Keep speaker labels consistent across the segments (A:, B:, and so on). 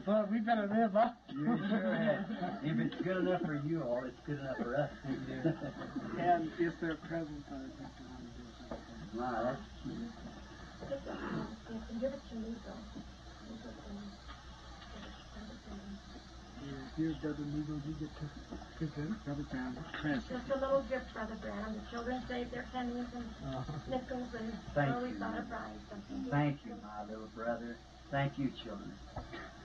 A: Well, we better live up.
B: You sure have. If it's good enough for you all, it's good enough for us.
A: And if they're present, I think they want to do something.
B: Wow, that's cute.
C: You can give it to me, though.
A: Here, Brother Neagle, you get to present Brother Branham a present.
C: Just a little gift, Brother Branham. The children saved their pennies and nickels, and
B: Thank you.
C: Thought of buying something.
B: Thank you, my little brother. Thank you, children.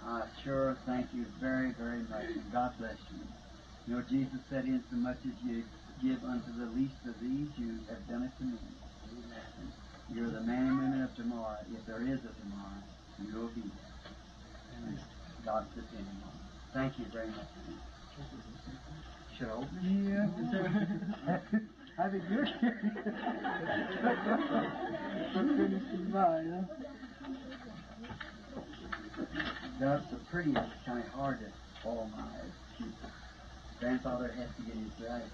B: I sure thank you very, very much, and God bless you. You know, Jesus said, insomuch as you give unto the least of these, you have done it to me. Amen. You're the man and women of tomorrow. If there is a tomorrow, you will be there. And God's depending on you. Thank you very much. Should I open it?
A: Yeah. I think you're curious. But mine, huh?
B: That's so pretty. It's kind of hard to follow my eyes. Grandfather has to get his glasses.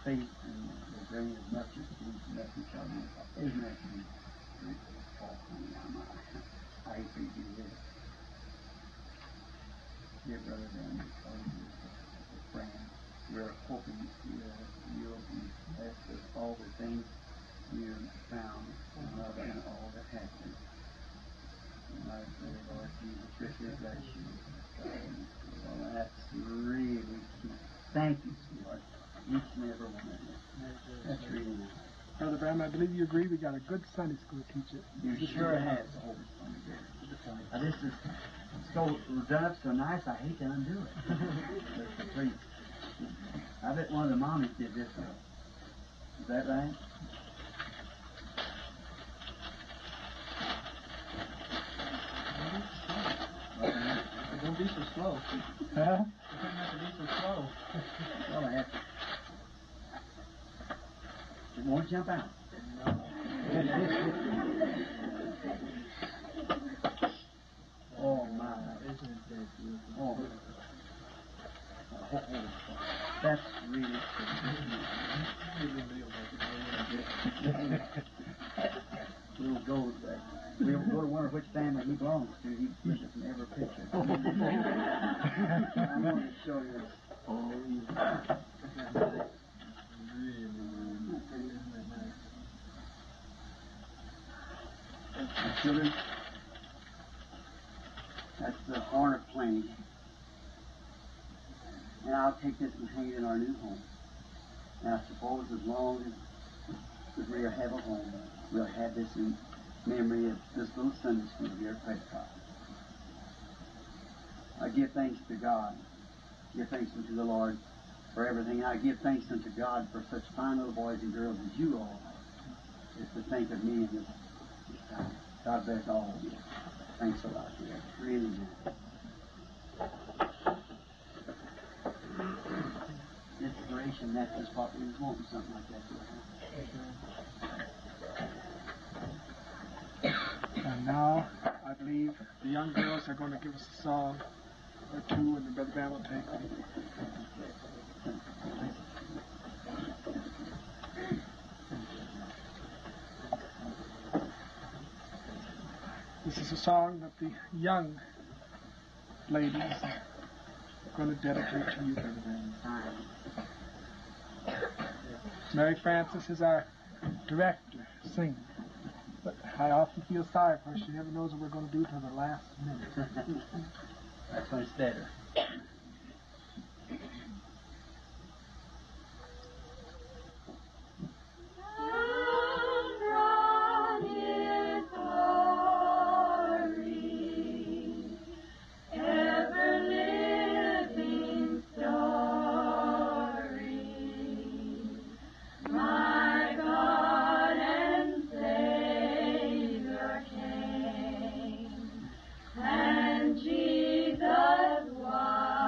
B: Faith and the grain of mustard seed, nothing shall be. Isn't that sweet? Oh, honey, I hate for you to do this. Dear Brother Dan, friend, we're hoping you'll be blessed with all the things you found and love and all that happened. And I pray, Lord Jesus, richly bless you. Well, that's really cute. Thank you, sweetheart. Each and every one of you. That's really nice.
A: Brother Branham, I believe you agree we got a good Sunday school teacher.
B: You sure have. This is so done up so nice, I hate to undo it. That's pretty. I bet one of the mommies did this one. Is that right?
D: Don't be so slow.
A: Huh?
D: You don't have to be so slow.
B: Well, I have to. It won't jump out.
D: No.
B: Oh, my.
D: Isn't that beautiful?
B: Oh. Oh, that's really cool. Little gold back. We'll go to wonder which family he belongs to. He pushes in every picture. I want to show you.
D: Oh, yeah. Really, isn't that nice?
B: Children, that's the horn of plenty. And I'll take this and hang it in our new home. And I suppose as long as we have a home, we'll have this in memory of this little Sunday school here at Prescott. I give thanks to God. Give thanks unto the Lord for everything. I give thanks unto God for such fine little boys and girls as you all are. Just to think of me in this time. God bless all of you. Thanks a lot, dear. Really nice. Inspiration, that's just what we was wanting, something like that.
A: And now, I believe the young girls are going to give us a song or two, and the Brother Branham will take them. This is a song that the young ladies are going to dedicate to you, Brother Branham. Mary Frances is our director, singer. But I often feel sorry for her. She never knows what we're going to do till the last minute.
B: That's when it's better.
E: And Jesus was.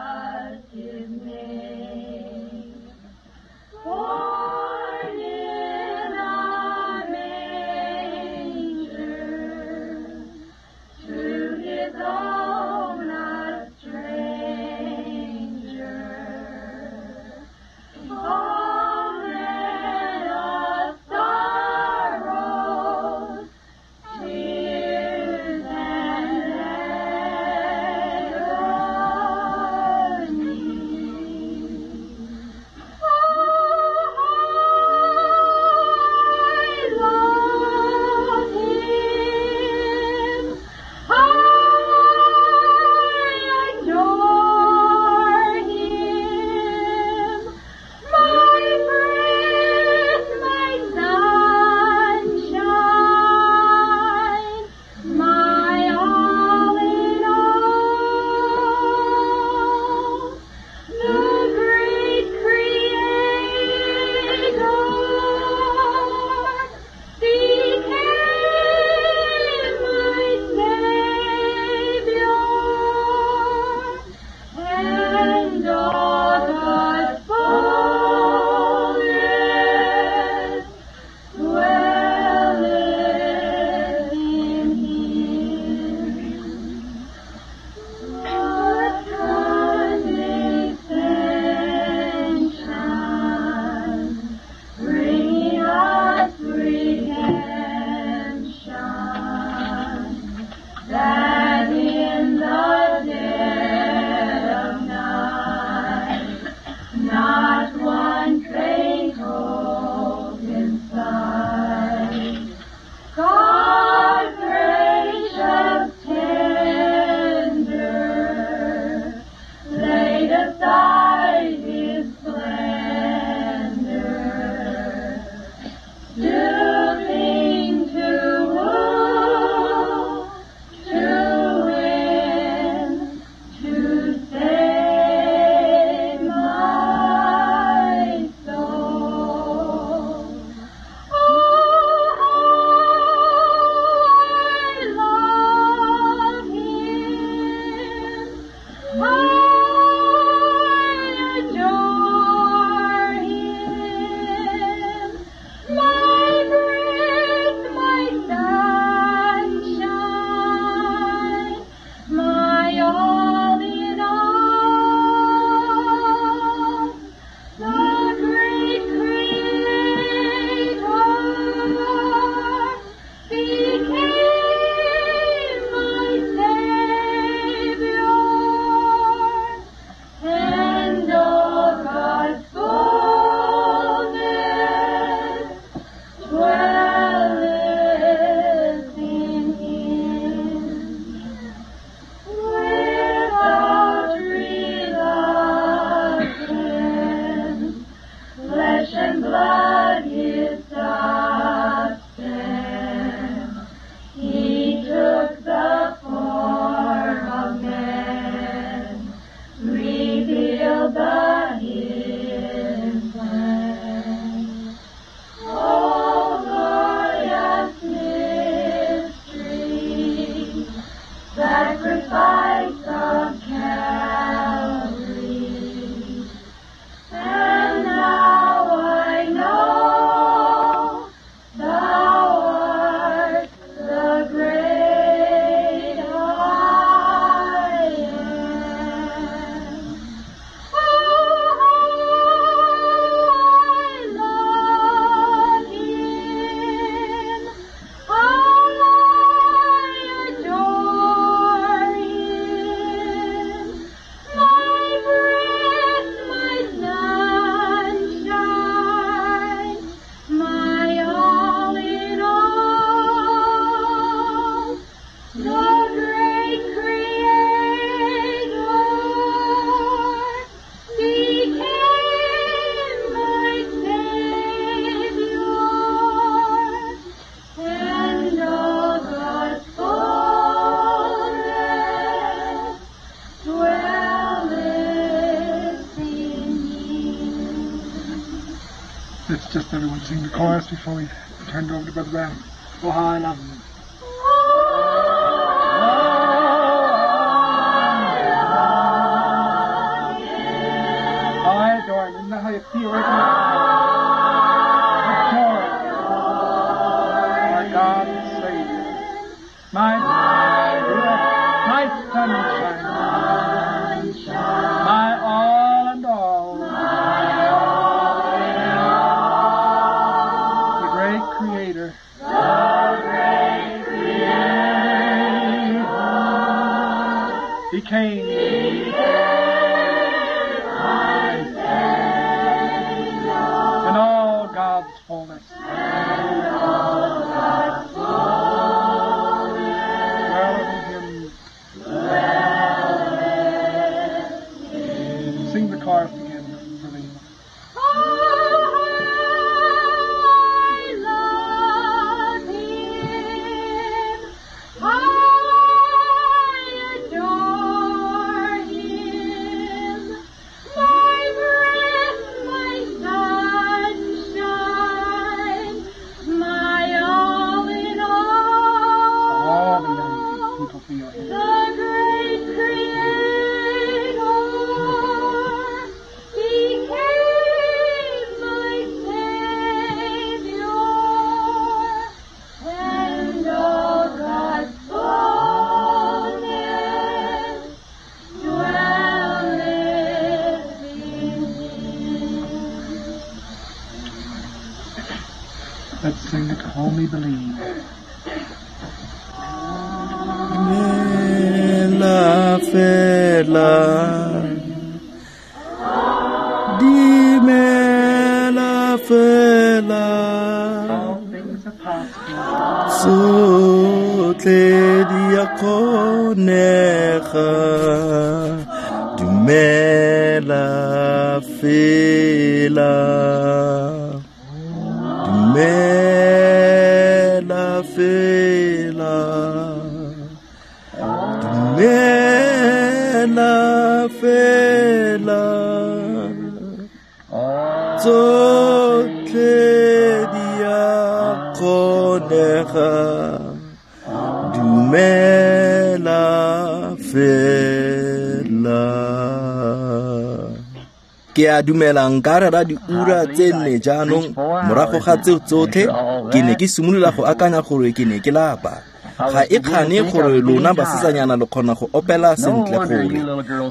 A: Let's just everyone sing the chorus before we turn it over to Brother Branham. Oh, how I love him. I adore him. Isn't that how you feel right now? Adore him. Our God and Savior. My my sunshine. My all and all. The great Creator. The great Creator. He came. In all God's fullness. Dwelleth in him. Sing the chorus again for me.
C: I love him. I adore him. My breath, my sunshine, my all in all.
A: All the young people feel it.
C: The great Creator became my Savior, and all God's fullness dwelleth in him.
A: Let's sing it, Only Believe.
E: Dumela fela, dumela fela,
A: All things are possible.
E: tsotlhe di a kgonega. Dumela fela, dumela fela. Dumela fela, tsotlhe di a kgonega. Dumela fela. Ke a dumela nka rera diura tse nne jaanong morago ga tseo tsotlhe ke ne ke simolola go akanya gore ke ne ke lapa. Ga e kgane gore lona basetsanyana le kgona go opela sentle gore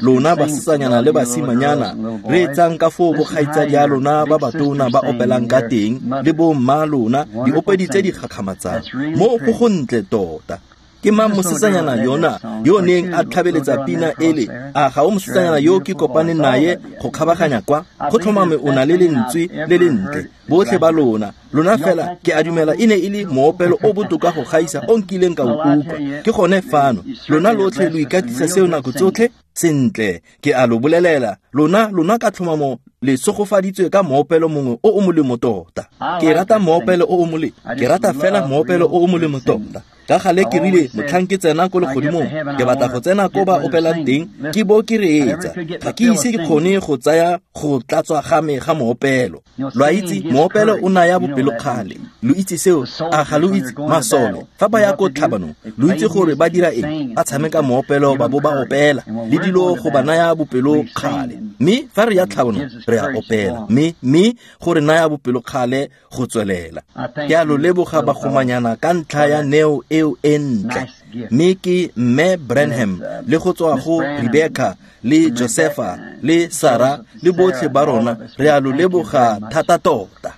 E: lona basetsanyana le basimanyana re etsang ka foo bokgaitsadi a lona ba batona ba opelang ka teng le bomma lona diopedi tse di gakgamatsang mo go gontle tota. Ke mang mosetsanyana yona yo neng a tlhabeletsa pina ele? A ga o mosetsanyana yo ke kopaneng naye go kgabaganya kwa? Go tlhomame o na le lentswe le lentle botlhe ba lona. Lona fela ke a dumela e ne e le moopelo o botoka go gaisa o nkileng ka o utlwa. Ke gone fano lona lotlhe lo ikatisa seo nako tsotlhe sentle. Ke a lo bolelela lona ka tlhomamo le sogofaditswe ka moopelo mongwe o o molemo tota. Ke rata moopelo o o molemo. Ke rata fela moopelo o o molemo tota. Ka gale ke rile motlhang ke tsena ko legodimong ke batla go tsena ko ba opelang teng ke bo ke reetsa. Ga ke ise ke kgone go tsaya go tlatswa ga me ga moopelo. Lo a itse moopelo o naya bopelokgale. Lo itse seo? A ga lo itse? Masole fa ba ya ko tlhabanong lo itse gore ba dira eng? Ba tshameka moopelo ba bo ba opela le dilo go ba naya bopelokgale. Mme fa re ya tlhabanong re a opela mme gore naya bopelokgale go tswelela. Ke a lo leboga bagomanyana ka ntlha ya neo eo e ntle. Mme ke Mme Branham le go tswa go Rebecca le Josepha le Sarah le botlhe ba rona re a lo leboga thata tota.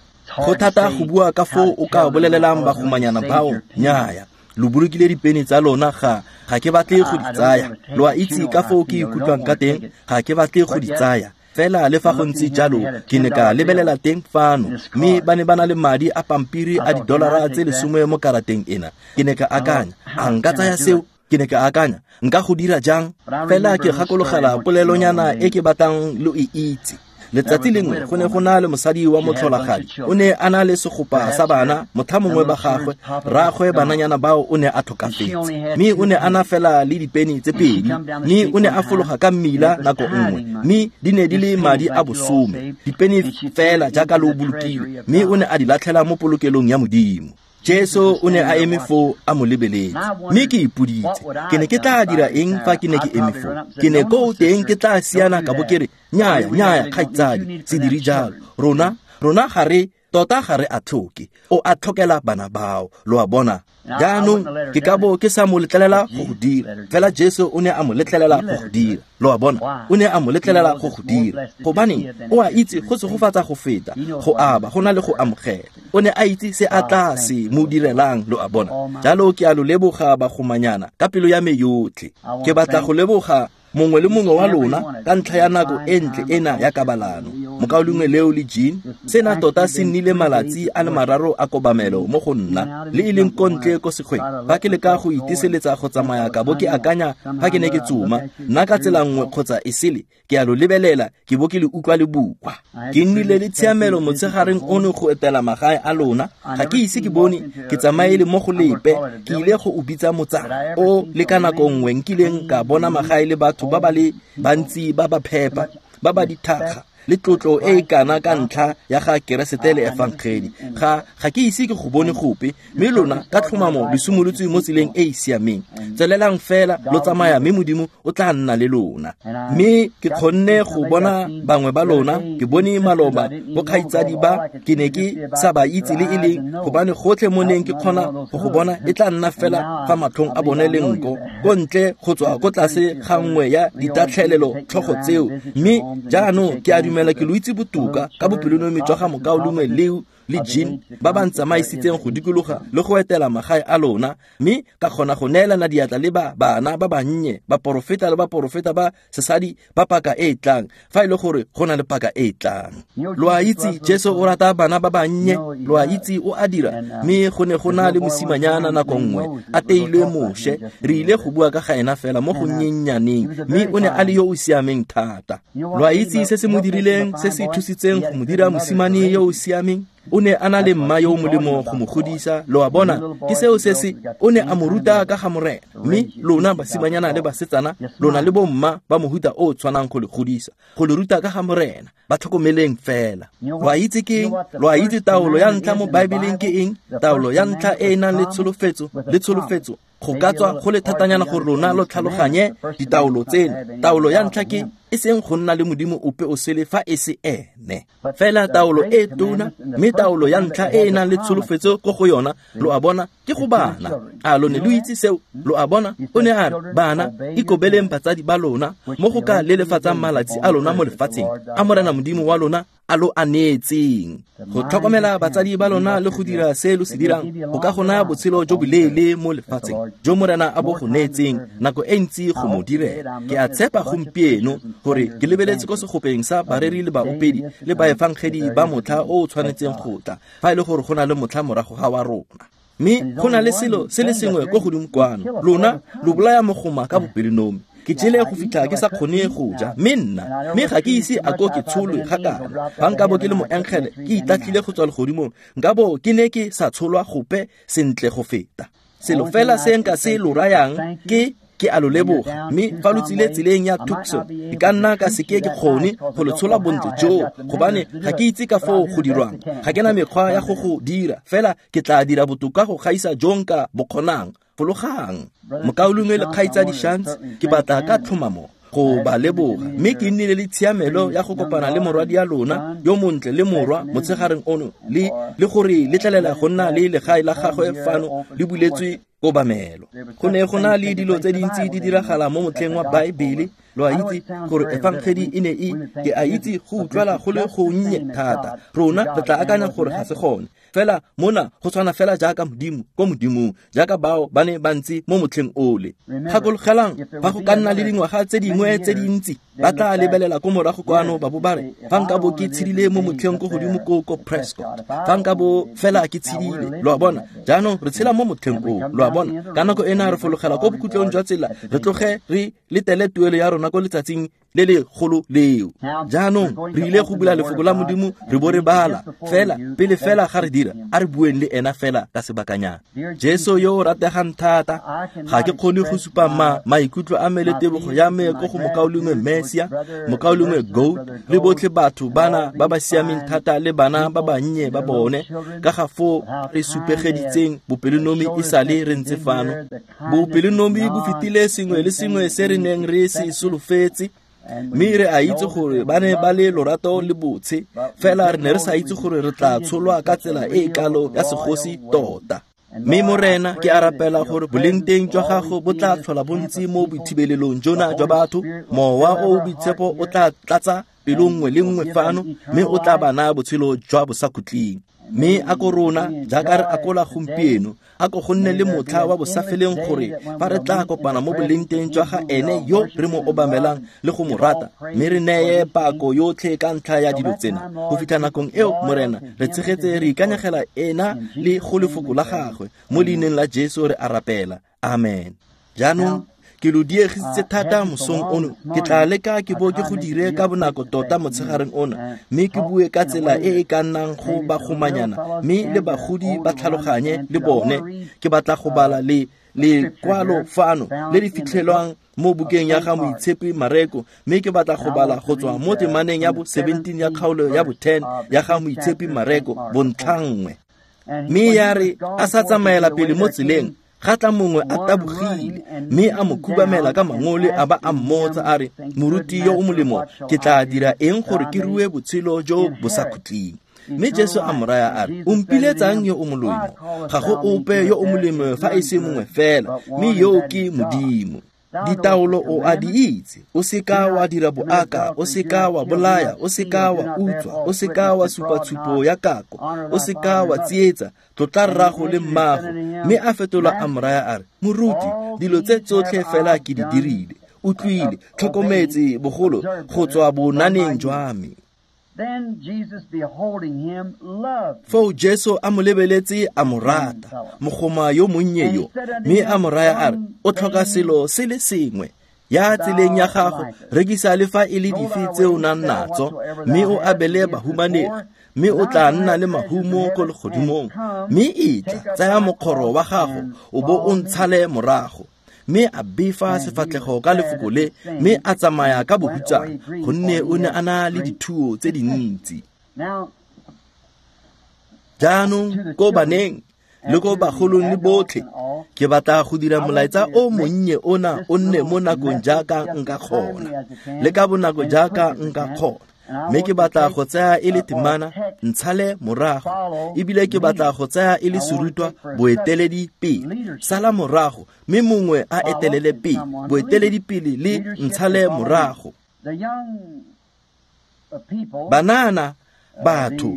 E: Go thata go bua ka foo o ka bolelelang bagomanyana bao nnyaya. Lo bolokile dipene tsa lona ga ke batle go di tsaya. Lo a itse ka foo ke ikutlwang ka teng, ga ke batle go di tsaya. Fela le fa go ntse jalo ke ne ka lebelela teng fano mme ba ne ba na le madi a pampiri a didolara tse 10 mo karateng ena. Ke ne ka akanya, a nka tsaya seo? Ke ne ka akanya, nka go dira jang? Fela ke gakologela polelonyana e ke batlang lo e itse. Letsatsi lengwe go ne go na le mosadi wa motlholagadi, o ne a na le segopa sa bana, motha mongwe ba gagwe, rraagwe bananyana bao o ne a tlhokafetse, mme o ne a na fela le dipeni tse pedi, mme o ne a fologa ka mmila nako nngwe, mme di ne di le madi a bosome, dipeni fela jaaka lo bolokile, mme o ne a di latlhela mo polokelong ya Modimo. Jesu o ne a eme foo a mo lebeletse, mme ke ipoditse, ke ne ke tla dira eng fa ke ne ke eme foo? Ke ne ko teng ke tla siana ka bo ke re, nnyaya, nnyaya, kgaitsadi, se dire jalo. Rona ga re tota ga re a tlhoke, o a tlhokela bana bao, lo a bona. Jaanong ke ka bo ke sa mo letlelela go go dira, fela Jesu o ne a mo letlelela go go dira, lo a bona. O ne a mo letlelela go go dira, gobaneng o a itse go segofatsa go feta go aba go na le go amogela. O ne a itse se a tla se mo direlang, lo a bona. Jalo ke a lo leboga bagomanyana ka pelo ya me yotlhe. Ke batla go leboga mongwe le mongwe wa lona ka ntlha ya nako e ntle ena ya kabalano. Mokaulengwe Leo le Jean, sena tota se nnile malatsi a le mararo a kobamelo mo go nna, le e leng ko ntle ko sekgweng. Fa ke leka go iteseletsa go tsamaya ka bo ke akanya fa ke ne ke tsoma, nna ka tsela nngwe kgotsa e sele, ke a lo lebelela ke bo ke le utlwa le bua. Ke nnile le tshiamelo motshegareng ono go etela magae a lona. Ga ke ise ke bone ke tsamaele mo go lepe, ke ile go o bitsa motsana o le ka nako nngwe nkileng ka bona magae le batho ba ba le bantsi ba ba phepa, ba ba dithakga, le tlotlo e e kana ka ntlha ya ga Keresete le Efangedi. Ga ke ise ke go bone gope, mme lona ka tlhomamo le simolotse mo tseleng e e siameng. Tswelelang fela lo tsamaya, mme Modimo o tla nna le lona. Mme ke kgonne go bona bangwe ba lona, ke bone maloba bokgaitsadi ba ke ne ke sa ba itse le e leng, gobane gotlhe mo neng ke kgona go go bona e tla nna fela fa matlhong a bone le nko, ko ntle go tswa ko tlase ga nngwe ya ditatlhelelo tlhogo tseo. Mme jaanong ke a dumela ke lo itse botoka ka bopelonomi jwa ga mokaulengwe Leo le Jean ba ba ntsamaisitseng go dikologa le go etela magae a lona, mme ka kgona go neelana diatla le ba bana ba bannye, baporofeta le baporofeta ba sesadi ba paka e e tlang, fa e le gore go na le paka e e tlang. Lo a itse Jesu o rata bana ba bannye, lo a itse o a dira. Mme go ne go na le mosimanyana nako nngwe a teilwe Moshe, re ile go bua ka ga ena fela mo go nnyennyaneng, mme o ne a le yo o siameng thata. Lo a itse se se mo dirileng, se se thusitseng go mo dira mosimane yo o siameng? O ne a na le mma yo o molemo go mo godisa, lo a bona. Ke seo se se o ne a mo ruta ka ga Morena. Mme lona basimanyana le basetsana, lona le bomma ba mohuta o tshwanang go le godisa, go le ruta ka ga Morena, ba tlhokomeleng fela. Lo a itse ke eng? Lo a itse taolo ya ntlha mo Baebeleng ke eng? Taolo ya ntlha e e nang le tsholofetso, le tsholofetso. Go ka tswa go le thatanyana gore lona lo tlhaloganye ditaolo tseno. Taolo ya ntlha ke e seng go nna le Modimo ope o sele fa e se ene. Fela taolo e tona, mme taolo ya ntlha e e nang le tsholofetso ko go yona, lo a bona, ke go bana. A lo ne lo itse seo? Lo a bona, o ne a re, bana, ikobeleng batsadi ba lona mo go ka lelefatsang malatsi a lona mo lefatsheng, a Morena Modimo wa lona a lo a neetseng. Go tlhokomela batsadi ba lona le go dira se lo se dirang go ka go naya botshelo jo boleele mo lefatsheng jo Morena a bo go neetseng nako e ntsi go mo direla. Ke a tshepa gompieno gore ke lebeletse ko segopeng sa bareri le baopedi le baefangedi ba motlha o o tshwanetseng go tla, fa e le gore go na le motlha morago ga wa rona. Mme go na le selo se le sengwe ko godimo kwano, lona lo bolaya mogoma ka bopelonomi. Ke jele go fitlha ke sa kgone go ja, mme nna, mme ga ke ise a ko ke tsholwe ga kana. Fa nka bo ke le moengele, ke itatlhile go tswa legodimong, nka bo ke ne ke sa tsholwa gope sentle go feta. Selo fela se nka se lo rayang ke a lo leboga, mme fa lo tsile tseleng ya Tucson, ke ka nna ka seke ke kgone go lo tshola bontle joo, gobane ga ke itse ka foo go dirwang. Ga ke na mekgwa ya go go dira, fela ke tla dira botoka go gaisa jo nka bo kgonang. Fologang. Mokaulengwe le kgaitsadi Shantz, ke batla ka tlhomamo go ba leboga, mme ke nnile le tshiamelo ya go kopana le morwadi ya lona yo montle le morwa motshegareng ono, le gore letlelela go nna le legae la gagwe fano le buletswe kobamelo. Go ne go na le dilo tse dintsi di diragala mo motlheng wa Baebele. Lo a itse gore efangedi e ne e, ke a itse go utlwala go le gonnye thata. Rona re tla akanya gore ga se gone. Fela mona go tshwana fela jaaka Modimo ko Modimong, jaaka bao ba ne ba ntse mo motlheng ole. Gakologelang, fa go ka nna le dingwaga tse dingwe tse dintsi, ba tla lebelela ko morago kwano ba bo ba re, fa nka bo ke tshedile mo motlheng ko godimo ko Prescott, fa nka bo fela ke tshedile. Lo a bona, jaanong re tshela mo motlheng oo. Lo a bona, ka nako ena re fologela ko bokhutlong jwa tsela, re tloge re letele tuelo ya rona ko letsatsing le legolo leo. Jaanong re ile go bula lefoko la Modimo re bo re bala fela pele fela ga re dira a re bueng le ena fela ka sebakanyana. Jesu yo o rategang thata, ga ke kgone go supa maikutlo a me le tebogo ya me ko go mokaulengwe Mesia, mokaulengwe Gold le botlhe batho bana ba ba siameng thata le bana ba bannye ba bone ka ga foo re supegeditseng bopelonomi e sale re ntse fano. Bopelonomi bo fetile sengwe le sengwe se re neng re se solofetse, mme re a itse gore ba ne ba le lorato le botshe, fela re ne re sa itse gore re tla tsholwa ka tsela e e kalo ya segosi tota. Mme Morena, ke a rapela gore bolengteng jwa gago bo tla tlhola bontsi mo boithibelelong jona jwa batho. Mowa o o boitshepo o tla tlatsa pelo nngwe le nngwe fano, mme o tla ba naya botshelo jwa bosakhutleng. Mme a ko rona jaaka re akola gompieno, a ko go nne le motlha wa bosafeleng gore fa re tla kopana mo bolengteng jwa ga ene yo re mo obamelang le go mo rata, mme re neye pako yotlhe ka ntlha ya dilo tsena. Go fitlha nakong eo, Morena, re tshegetse re ikanyegela ena le go lefoko la gagwe. Mo leineng la Jesu re a rapela, amen. Jaanong ke lo diegisitse thata mosong ono, ke tla leka ke bo ke go dire ka bonako tota motshegareng ona, mme ke bue ka tsela e e ka nnang go bagomanyana mme le bagodi ba tlhaloganye le bone. Ke batla go bala le lekwalo fano le le fitlhelwang mo bukeng ya ga Moitshepi Mareko, mme ke batla go bala go tswa mo temaneng ya bo 17 ya kgaolo ya bo 10 ya ga Moitshepi Mareko bontlhanngwe. Mme ya re a sa tsamaela pele mo tseleng, ga tla mongwe a tabogile mme a mo khubamela ka mangole a ba a mmotsa a re, moruti yo o molemo, ke tla dira eng gore ke rue botshelo jo bo sa khutleng? Mme Jesu a mo raya a re, o mpiletsang yo o molemo? Ga go ope yo o molemo fa e se mongwe fela, mme yo ke Modimo. Ditaolo o a di itse, o seka wa dira boaka, o seka wa bolaya, o seka wa utswa, o seka wa supa tshupo ya kako, o seka wa tsietsa, tlotla rrago le mmago. Mme a fetola a mo raya a re, moruti, dilo tse tsotlhe fela ke di dirile, utlwile, tlhokometse bogolo go tswa bonaneng jwa me. Foo Jesu a mo lebeletse a mo rata, mogoma yo monnye yo, mme a mo raya a re, o tlhoka selo se le sengwe. Ya tseleng ya gago, rekisa le fa e le dife tse o nang natso, mme o abele bahumanegi, mme o tla nna le mahumo ko legodimong. Mme etla, tsaya mokgoro wa gago, o bo o ntshale morago. Mme a befa sefatlhego ka lefoko le, mme a tsamaya ka bohutsana, gonne o ne a na le dithuo tse dintsi. Jaanong ko baneng le ko bagolong le botlhe, ke batla go dira molaetsa o monnye ona o nne mo nakong jaaka nka kgona, le ka bonako jaaka nka kgona. Mme ke batla go tsaya e le temana, ntshale morago, ebile ke batla go tsaya e le serutwa boeteledi pele. Sala morago, mme mongwe a etelele pele, boeteledi pele le ntshale morago. Banana, batho,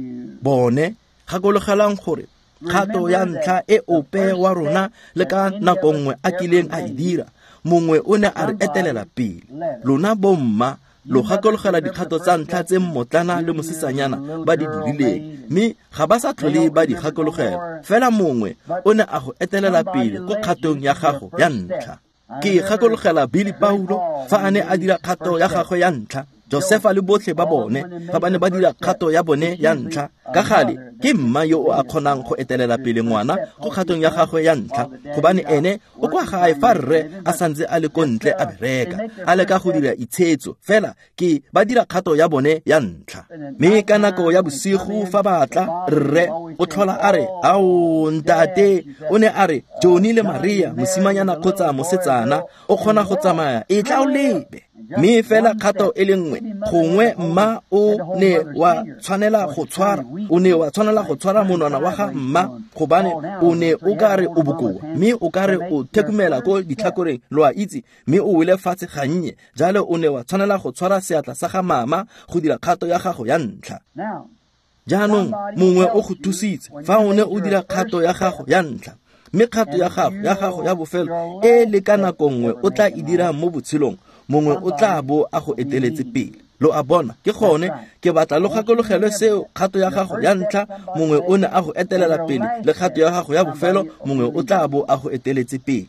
E: bone, gakologelang gore kgato ya ntlha e ope wa rona le ka nako nngwe a kileng a e dira, mongwe o ne a re etelela pele. Lona bomma, lo gakologela dikgato tsa ntlha tse mmotlana le mosetsanyana ba di dirileng, mme ga ba sa tlhole ba di gakologela. Fela mongwe o ne a go etelela pele ko kgatong ya gago ya ntlha. Ke gakologela Billy Paulo fa a ne a dira kgato ya gagwe ya ntlha, Josefa le botlhe ba bone fa ba ne ba dira kgato ya bone ya ntlha. Ka gale ke mma yo o a kgonang go etelela pele ngwana go kgatong ya gagwe ya ntlha, gobane ene o kwa gae fa rre a santse a le ko ntle a bereka, a leka go dira itshetso, fela ke ba dira kgato ya bone ya ntlha. Mme ka nako ya bosigo fa ba tla, rre o tlhola a re, ao ntate, o ne a re Johnny le Maria, mosimanyana kgotsa mosetsana, o kgona go tsamaya, e tla o lebe. Mme fela kgato e le nngwe, gongwe mma o ne wa tshwanela go tshwara, o ne wa tshwanela go tshwara monwana wa ga mma, gobane o ne o ka re o bokoa, mme o ka re o thekumela ko ditlhakoreng, lo a itse, mme o wele fatshe gannye. Jalo o ne wa tshwanela go tshwara seatla sa ga mama go dira kgato ya gago ya ntlha. Jaanong mongwe o go thusitse fa o ne o dira kgato ya gago ya ntlha, mme kgato ya gago ya bofelo e le ka nako nngwe o tla e dira mo botshelong, mongwe o tla bo a go eteletse pele. Lo a bona, ke gone ke batla lo gakologelwe seo. Kgato ya gago ya ntlha, mongwe o ne a go etelela pele, le kgato ya gago ya bofelo, mongwe o tla bo a go eteletse pele.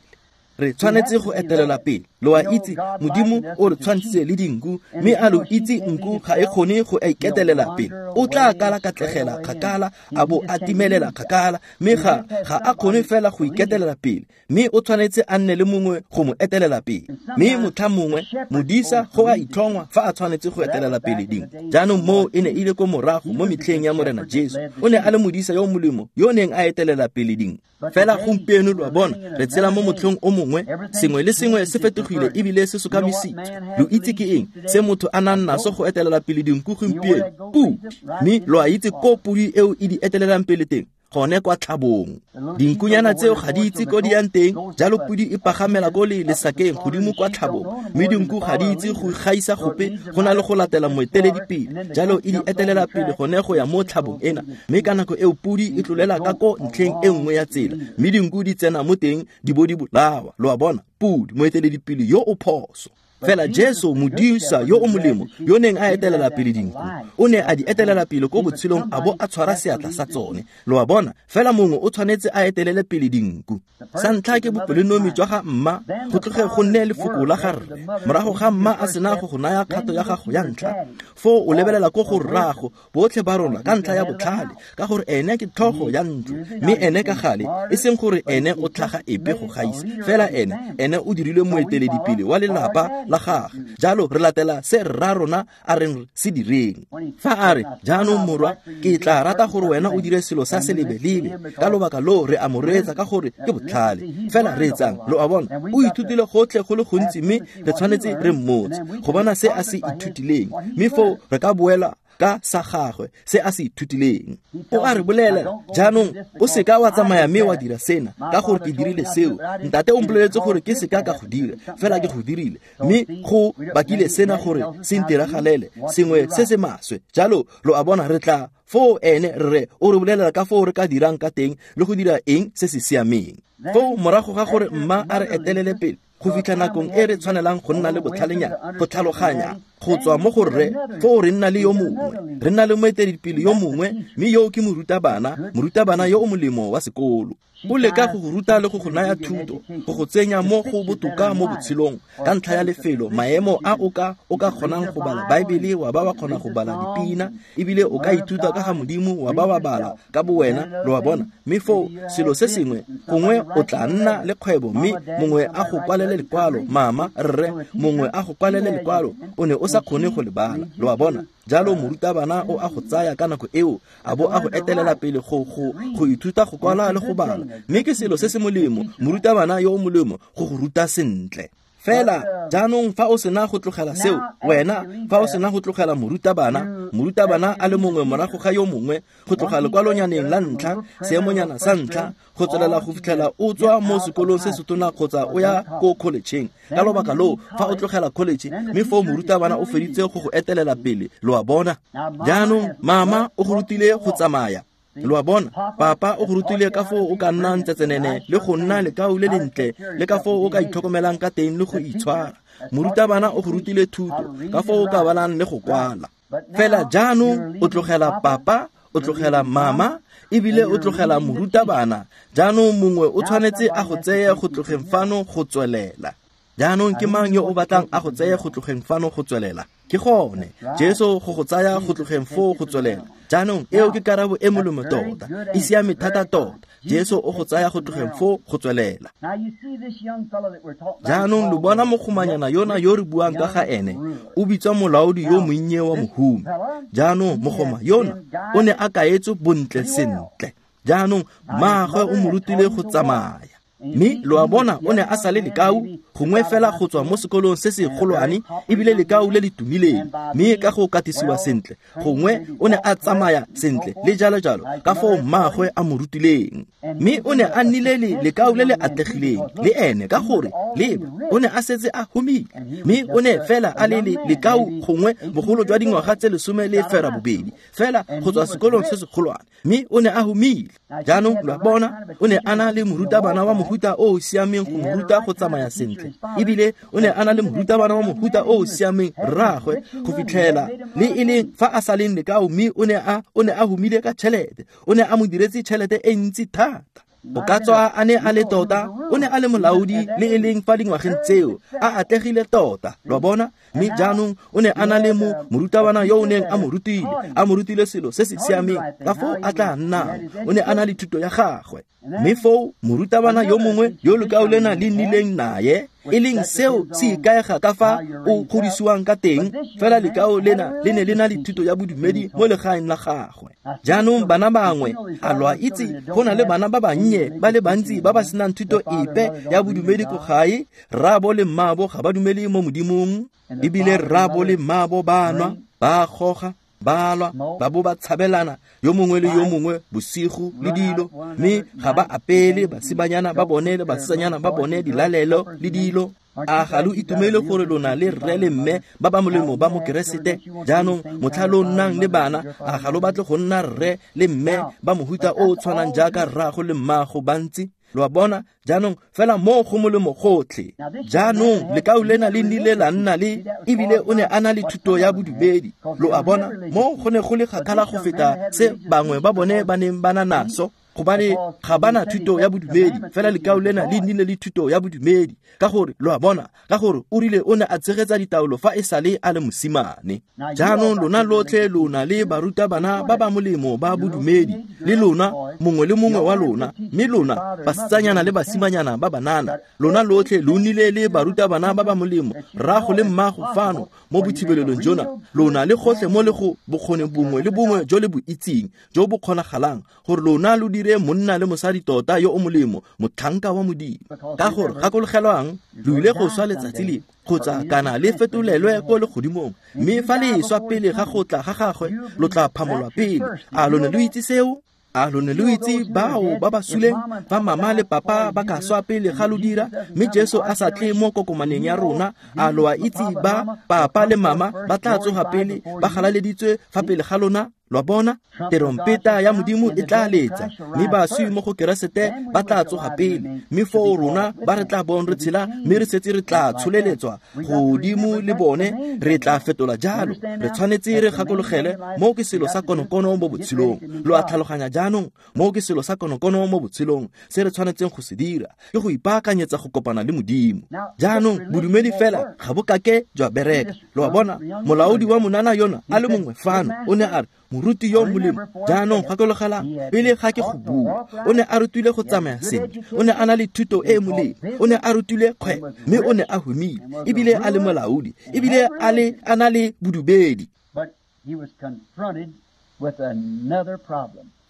E: Re tshwanetse go etelela pele. Lo a itse Modimo o re tshwantshitse le dinku, mme a lo itse nku ga e kgone go iketelela pele. O tla kala katlegela kgakala, a bo a timelela kgakala, mme ga a kgone fela go iketelela pele, mme o tshwanetse a nne le mongwe go mo etelela pele. Mme motlha mongwe modisa go a itlhongwa fa a tshwanetse go etelela pele dinku. Jaanong moo e ne e le ko morago mo metlheng ya Morena Jesu. O ne a le modisa yo molemo yo o neng a etelela pele dinku. Fela gompieno lo a bona re tshela mo motlhong o mongwe, sengwe le sengwe se fetogile ebile se sokamisitswe. Lo itse ke eng se motho a nang naso go etelela pele dinku gompieno? Pudi. Mme lo a itse ko pudi eo e di etelelang pele teng? Gone kwa tlhabong. Dinkunyana tseo ga di itse ko di yang teng, jalo pudi e pagamela ko le lesakeng godimo kwa tlhabong, mme dinku ga di itse go gaisa gope go na le go latela moeteledipele, jalo e di etelela pele gone go ya mo tlhabong ena. Mme ka nako eo pudi e tlolela ka ko ntlheng e nngwe ya tsela, mme dinku di tsena mo teng di bo di bolawa. Lo a bona, pudi moeteledipele yo o phoso. Fela Jesu modisa yo o molemo yo neng a etelela pele dinku, o ne a di etelela pele ko botshelong a bo a tshwara seatla sa tsone. Lo a bona, fela mongwe o tshwanetse a etelele pele dinku. Sa ntlha ke bopelonomi jwa ga mma, go tloge go nne lefoko la ga rre. Morago ga mma a sena go go naya kgato ya gago ya ntlha, foo o lebelela ko go rrago, botlhe ba rona ka ntlha ya botlhale, ka gore ene ke tlhogo ya ntlo, mme ene ka gale, e seng gore ene o tlhaga epe go gaisa, fela ene o dirilwe moeteledipele wa lelapa la gagwe. Jalo re latela se rra rona a reng se direng. Fa a re, jaanong morwa, ke tla rata gore wena o dire selo sa selebelebe, ka lobaka loo re a mo reetsa ka gore ke botlhale. Fela reetsang, lo a bona, o ithutile gotlhe go le gontsi, mme re tshwanetse re mmotse go bona se a se ithutileng, mme foo re ka boela ka sa gagwe se a se ithutileng. O a re bolela, jaanong o seka wa tsamaya mme wa dira sena ka gore ke dirile seo. Ntate o mpoleletse gore ke seka ka go dira, fela ke go dirile, mme go bakile sena gore se ntiragalele sengwe se se maswe. Jalo lo a bona, re tla foo ene rre o re bolelela ka foo re ka dirang ka teng le go dira eng se se siameng. Foo morago ga gore mma a re etelele pele go fitlha nakong e re tshwanelang go nna le botlhalenyana, go tlhaloganya go tswa mo go rre, foo re nna le yo mongwe, re nna le moeteledipele yo mongwe, mme yo ke morutabana yo o molemo wa sekolo. O leka go go ruta le go go naya thuto, go go tsenya mo go botoka mo botshelong ka ntlha ya lefelo, maemo a o ka kgonang go bala Baebele, wa ba wa kgona go bala dipina, ebile o ka ithuta ka ga Modimo, wa ba wa bala ka bowena, lo a bona. Mme foo selo se sengwe, gongwe o tla nna le kgwebo, mme mongwe a go kwalele lekwalo, mama, rre, mongwe a go kwalele lekwalo, o ne o sa kgone go le bala, lo a bona. Jalo morutabana o a go tsaya ka nako eo, a bo a go etelela pele go ithuta go kwala le go bala, mme ke selo se se molemo, morutabana yo o molemo go go ruta sentle. Fela jaanong fa o sena go tlogela seo, wena fa o sena go tlogela morutabana a le mongwe morago ga yo mongwe, go tloga lekwalonyaneng la ntlha, seemonyana sa ntlha, go tswelela go fitlhela o tswa mo sekolong se setona kgotsa o ya ko collegeng. Ka lobaka loo fa o tlogela college, mme foo morutabana o feditse go go etelela pele, lo a bona. Jaanong mama o go rutile go tsamaya, lo a bona. Papa o go rutile ka foo o ka nnang tsetsenene le go nna lekau le lentle, le ka foo o ka itlhokomelang ka teng le go itshwara. Morutabana o go rutile thuto ka foo o ka balang le go kwala. Fela jaanong o tlogela papa, o tlogela mama, ebile o tlogela morutabana. Jaanong mongwe o tshwanetse a go tseye go tlogeng fano go tswelela. Jaanong ke mang yo o batlang a go tseye go tlogeng fano go tswelela? Ke gone Jesu go go tsaya go tlogeng foo go tswelela. Jaanong eo ke karabo e molemo tota, e siame thata tota. Jesu o go tsaya go tlogeng foo go tswelela. Jaanong lo bona mogomanyana yona yo re buang ka ga ene, o bitswa molaodi yo monnye wa mohumi. Jaanong mogoma yona o ne a kaetswe bontle sentle. Jaanong mmaagwe o mo rutile go tsamaya, mme lo a bona o ne a sa le lekau, gongwe fela go tswa mo sekolong se se golwane, ebile lekau le le tumileng, mme ka go katisiwa sentle, gongwe o ne a tsamaya sentle le jalo jalo ka foo mmaagwe a mo rutileng. Mme o ne a nnile le lekau le le atlegileng le ene, ka gore leba o ne a setse a humile, mme o ne fela a le lekau gongwe bogolo jwa dingwaga tse 18 fela go tswa sekolong se se golwane, mme o ne a humile. Jaanong lo a bona, o ne a na le morutabana wa mohuta o o siameng go mo ruta go tsamaya sentle, ebile o ne a na le morutabana wa mohuta o o siameng rraagwe go fitlhela le e leng fa a sa leng lekao, mme o ne a humile ka tšhelete, o ne a mo diretse tšhelete e ntsi thata. O ka tswa a ne a le tota, o ne a le molaodi le e leng fa dingwageng tseo, a atlegile tota, lo bona? Mme jaanong o ne a na le morutabana yo o neng a mo rutile selo se se siameng ka foo a tla nnang, o ne a na le thuto ya gagwe. Mme foo morutabana yo mongwe yo lekau lena le nnileng naye, e leng seo se ikaega ka fa o godisiwang ka teng, fela lekau lena le ne le na le thuto ya bodumedi mo legaeng la gagwe. Jaanong bana bangwe, a lo a itse, go na le bana ba bannye ba le bantsi ba ba senang thuto epe ya bodumedi ko gae, rraabo le mmaabo ga ba dumele mo Modimong, ebile rraabo le mmaabo ba nwa, ba goga, ba lwa, ba bo ba tshabelana yo mongwe le yo mongwe bosigo le dilo, mme ga ba apele basimanyana ba bone le basetsanyana ba bone dilalelo le dilo. A ga lo itumele gore lona le rre le mme ba ba molemo ba mo Keresete? Jaanong motlha lo nnang le bana, a ga lo batle go nna rre le mme ba mohuta o o tshwanang jaaka rraago le mmaago bantsi? Lo a bona? Jaanong fela mo go molemo gotlhe. Jaanong lekau lena le nnile la nna le, ebile o ne a na le thuto ya bodumedi. Lo a bona? Mo go ne go le kgakala go feta se bangwe ba bone ba neng ba na naso, gobane ga ba na thuto ya bodumedi, fela lekau lena le nnile le thuto ya bodumedi. Ka gore, lo a bona, ka gore o rile o ne a tshegetsa ditaolo fa e sale a le mosimane. Jaanong lona lotlhe lona le barutabana ba ba molemo ba bodumedi, le lona mongwe le mongwe wa lona, mme lona basetsanyana le basimanyana ba banana, lona lotlhe lo nnile le barutabana ba ba molemo, rrago le mmago fano mo bothibelelong jona, lona le gotlhe mo le go bokgoni bongwe le bongwe jo le bo itseng, jo bo kgonagalang, gore lona lo dire monna le mosadi tota yo o molemo, motlhanka wa Modimo. Ka gore gakologelwang, lo ile go swa letsatsi le kgotsa kana le fetolelwe ko legodimong, mme fa le swa pele ga go tla ga gagwe, lo tla phamolwa pele. A lo ne lo itse seo? A lo ne lo itse bao ba ba suleng fa mama le papa ba ka swa pele ga lo dira, mme Jesu a sa tle mo kokomaneng ya rona? A lo a itse ba papa le mama ba tla tsoga pele ba galaleditswe fa pele ga lona? Lo a bona? Terompeta ya Modimo e tla letsa, mme baswi mo go Keresete ba tla tsoga pele, mme foo rona ba re tla bong re tshela, mme re setse re tla tsholeletswa godimo le bone, re tla fetola jalo. Re tshwanetse re gakologele, mo ke selo sa konokono mo botshelong. Lo a tlhaloganya jaanong? Mo ke selo sa konokono mo botshelong se re tshwanetseng go se dira, ke go ipaakanyetsa go kopana le Modimo. Jaanong bodumedi fela ga bo kake jwa bereka. Lo a bona? Molaodi wa monana yona a le mongwe fano o ne a re, moruti yo molemo, jaanong gakologelang, pele ga ke go bua, o ne a rutile go tsamaya sentle, o ne a na le thuto e e molemo, o ne a rutile kgwebo, mme o ne a humile, ebile a le molaodi, ebile a na le bodumedi.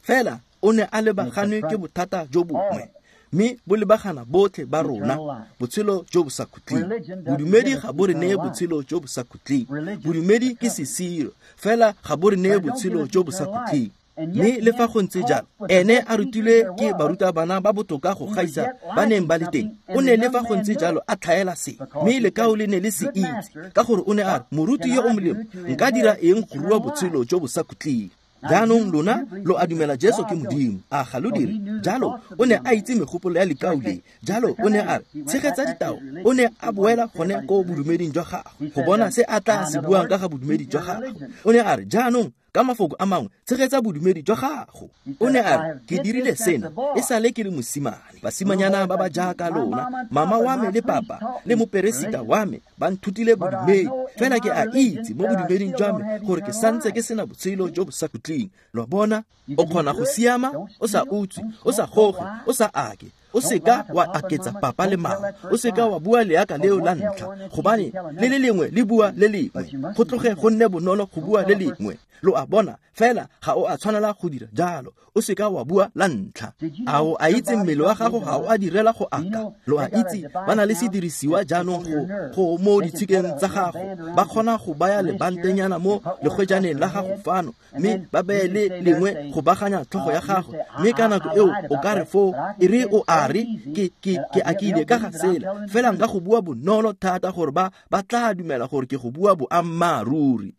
E: Fela o ne a lebaganwe ke bothata jo bongwe, mme bo lebagana botlhe ba rona, botshelo jo bo sa khutleng. Bodumedi ga bo re neye botshelo jo bo sa khutleng. Bodumedi ke sesiro, fela ga bo re neye botshelo jo bo sa khutleng. Mme le fa go ntse jalo, ene a rutilwe ke barutabana ba botoka go gaisa ba neng ba le teng. O ne le fa go ntse jalo a tlhaela se, mme lekau le ne le se itse, ka gore o ne a re, moruti yo o molemo, nka dira eng go rua botshelo jo bo sa khutleng? Jaanong lona lo a dumela Jesu ke Modimo, a ga lo dire? Jalo o ne a itse megopolo ya lekau le. Jalo o ne a re, tshegetsa ditao. O ne a boela gone ko bodumeding jwa gagwe go bona se a tla se buang ka ga bodumedi jwa gagwe. O ne a re, jaanong ka mafoko a mangwe, tshegetsa bodumedi jwa gago. O ne a re, ke dirile sena e sale ke le mosimane. Basimanyana ba ba jaaka lona, mama wa me le papa le moperesita wa me ba nthutile bodumedi, fela ke a itse mo bodumeding jwa me gore ke santse ke sena botshelo jo bo sa khutleng. Lo bona? O kgona go siama o sa utswe, o sa goge, o sa ake, o seka wa aketsa papa le mama, o seka wa bua leaka leo la ntlha, gobane le le lengwe le bua le lengwe, go tloge go nne bonolo go bua le lengwe. Lo a bona? Fela ga o a tshwanela go dira jalo, o seka wa bua la ntlha. A o a itse mmele wa gago ga o a direla go aka? Lo a itse ba na le sedirisiwa jaanong go mo ditshikeng tsa gago, ba kgona go baya lebantenyana mo legwejaneng la gago fano, mme ba beye le lengwe go baganya tlhogo ya gago, mme ka nako eo o ka re foo, e re o a re ke akile ka ga sela, fela nka go bua bonolo thata gore ba tla dumela gore ke go bua boammaaruri.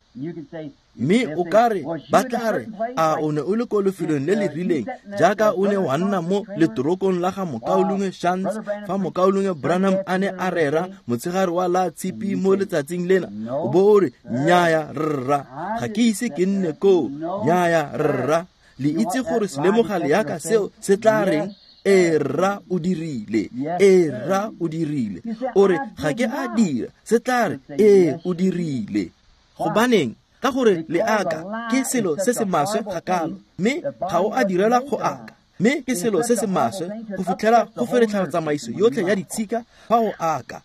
E: Mme o ka re, ba tla re, a o ne o le ko lefelong le le rileng, jaaka o ne wa nna mo letorokong la ga Mokaulengwe Shantz fa Mokaulengwe Branham a ne a rera motshegare wa la tshipi mo letsatsing lena, o bo o re, nnyaya rra, ga ke ise ke nne koo, nnyaya rra. Le itse gore selemoga leaka seo se tla reng? Ee, rra, o dirile. Ee, rra, o dirile. O re, ga ke a dira. Se tla re, ee, o dirile. Gobaneng? Ka gore leaka ke selo se se maswe gakalo, mme ga o a direlwa go aka. Mme ke selo se se maswe go fitlhela go feretlha tsamaiso yotlhe ya ditshika fa o aka.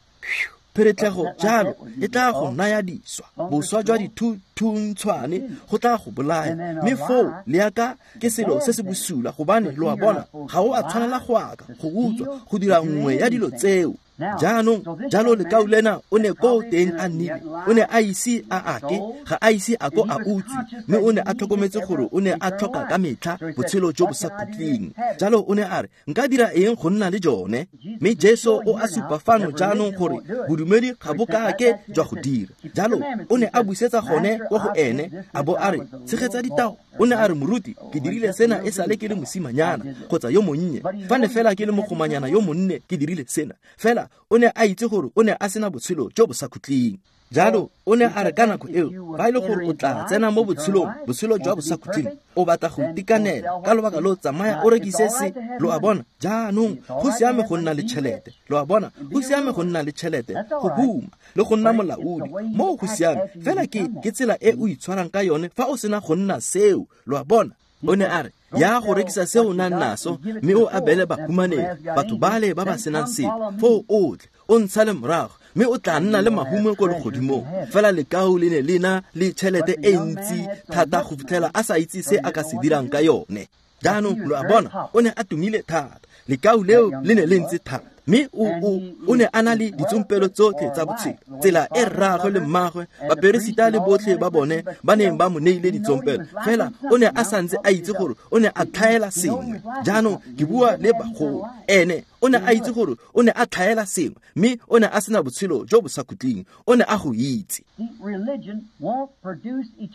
E: Pheretlhego jalo e tla go naya diswa, boswa jwa dithuntshwane go tla go bolaya. Mme foo leaka ke selo se se bosula, gobane lo a bona, ga o a tshwanela go aka, go utswa, go dira nngwe ya dilo tseo. Jaanong jalo lekau lena o ne ko teng a nnile, o ne a ise a ake, ga a ise a ko a utswe, mme o ne a tlhokometse gore o ne a tlhoka ka metlha botshelo jo bo sa khutleng. Jalo o ne a re, nka dira eng go nna le jone? Mme Jesu o a supa fano jaanong gore bodumedi ga bo kake jwa go dira. Jalo o ne a busetsa gone ko go ene, a bo a re, tshegetsa ditao. O ne a re, moruti, ke dirile sena e sale ke le mosimanyana kgotsa yo monnye. Fa ne fela ke le mogomanyana yo monne, ke dirile sena. Fela o ne a itse gore o ne a sena botshelo jo bo sa khutleng. Jalo o ne a re ka nako eo, fa e le gore o tla tsena mo botshelong, botshelo jwa bosakhutleng, o batla go itekanela, ka lobaka lo tsamaya o rekise se. Lo a bona? Jaanong go siame go nna le tšhelete. Lo a bona? Go siame go nna le tšhelete, go huma le go nna molaodi, moo go siame. Fela ke tsela e o itshwarang ka yone fa o sena go nna seo. Lo a bona? O ne a re, ya go rekisa se o nang naso, mme o abele bahumanegi, batho bale ba ba senang sepe, foo o tle o ntshale morago, mme o tla nna le mahumo ko legodimong. Fela lekau le ne le na le tšhelete e ntsi thata go fitlhela a sa itse se a ka se dirang ka yone. Jaanong lo a bona, o ne a tumile thata. Lekau leo le ne le ntse thata, mme o ne a na le ditsompelo tsotlhe tsa botshelo. Tsela e rraagwe le mmagwe, baperesita le botlhe ba bone ba neng ba mo neile ditsompelo, fela o ne a santse a itse gore o ne a tlhaela sengwe. Jaanong ke bua le bagolo, ene o ne a itse gore o ne a tlhaela sengwe, mme o ne a sena botshelo jo bo sa khutleng. O ne a go itse.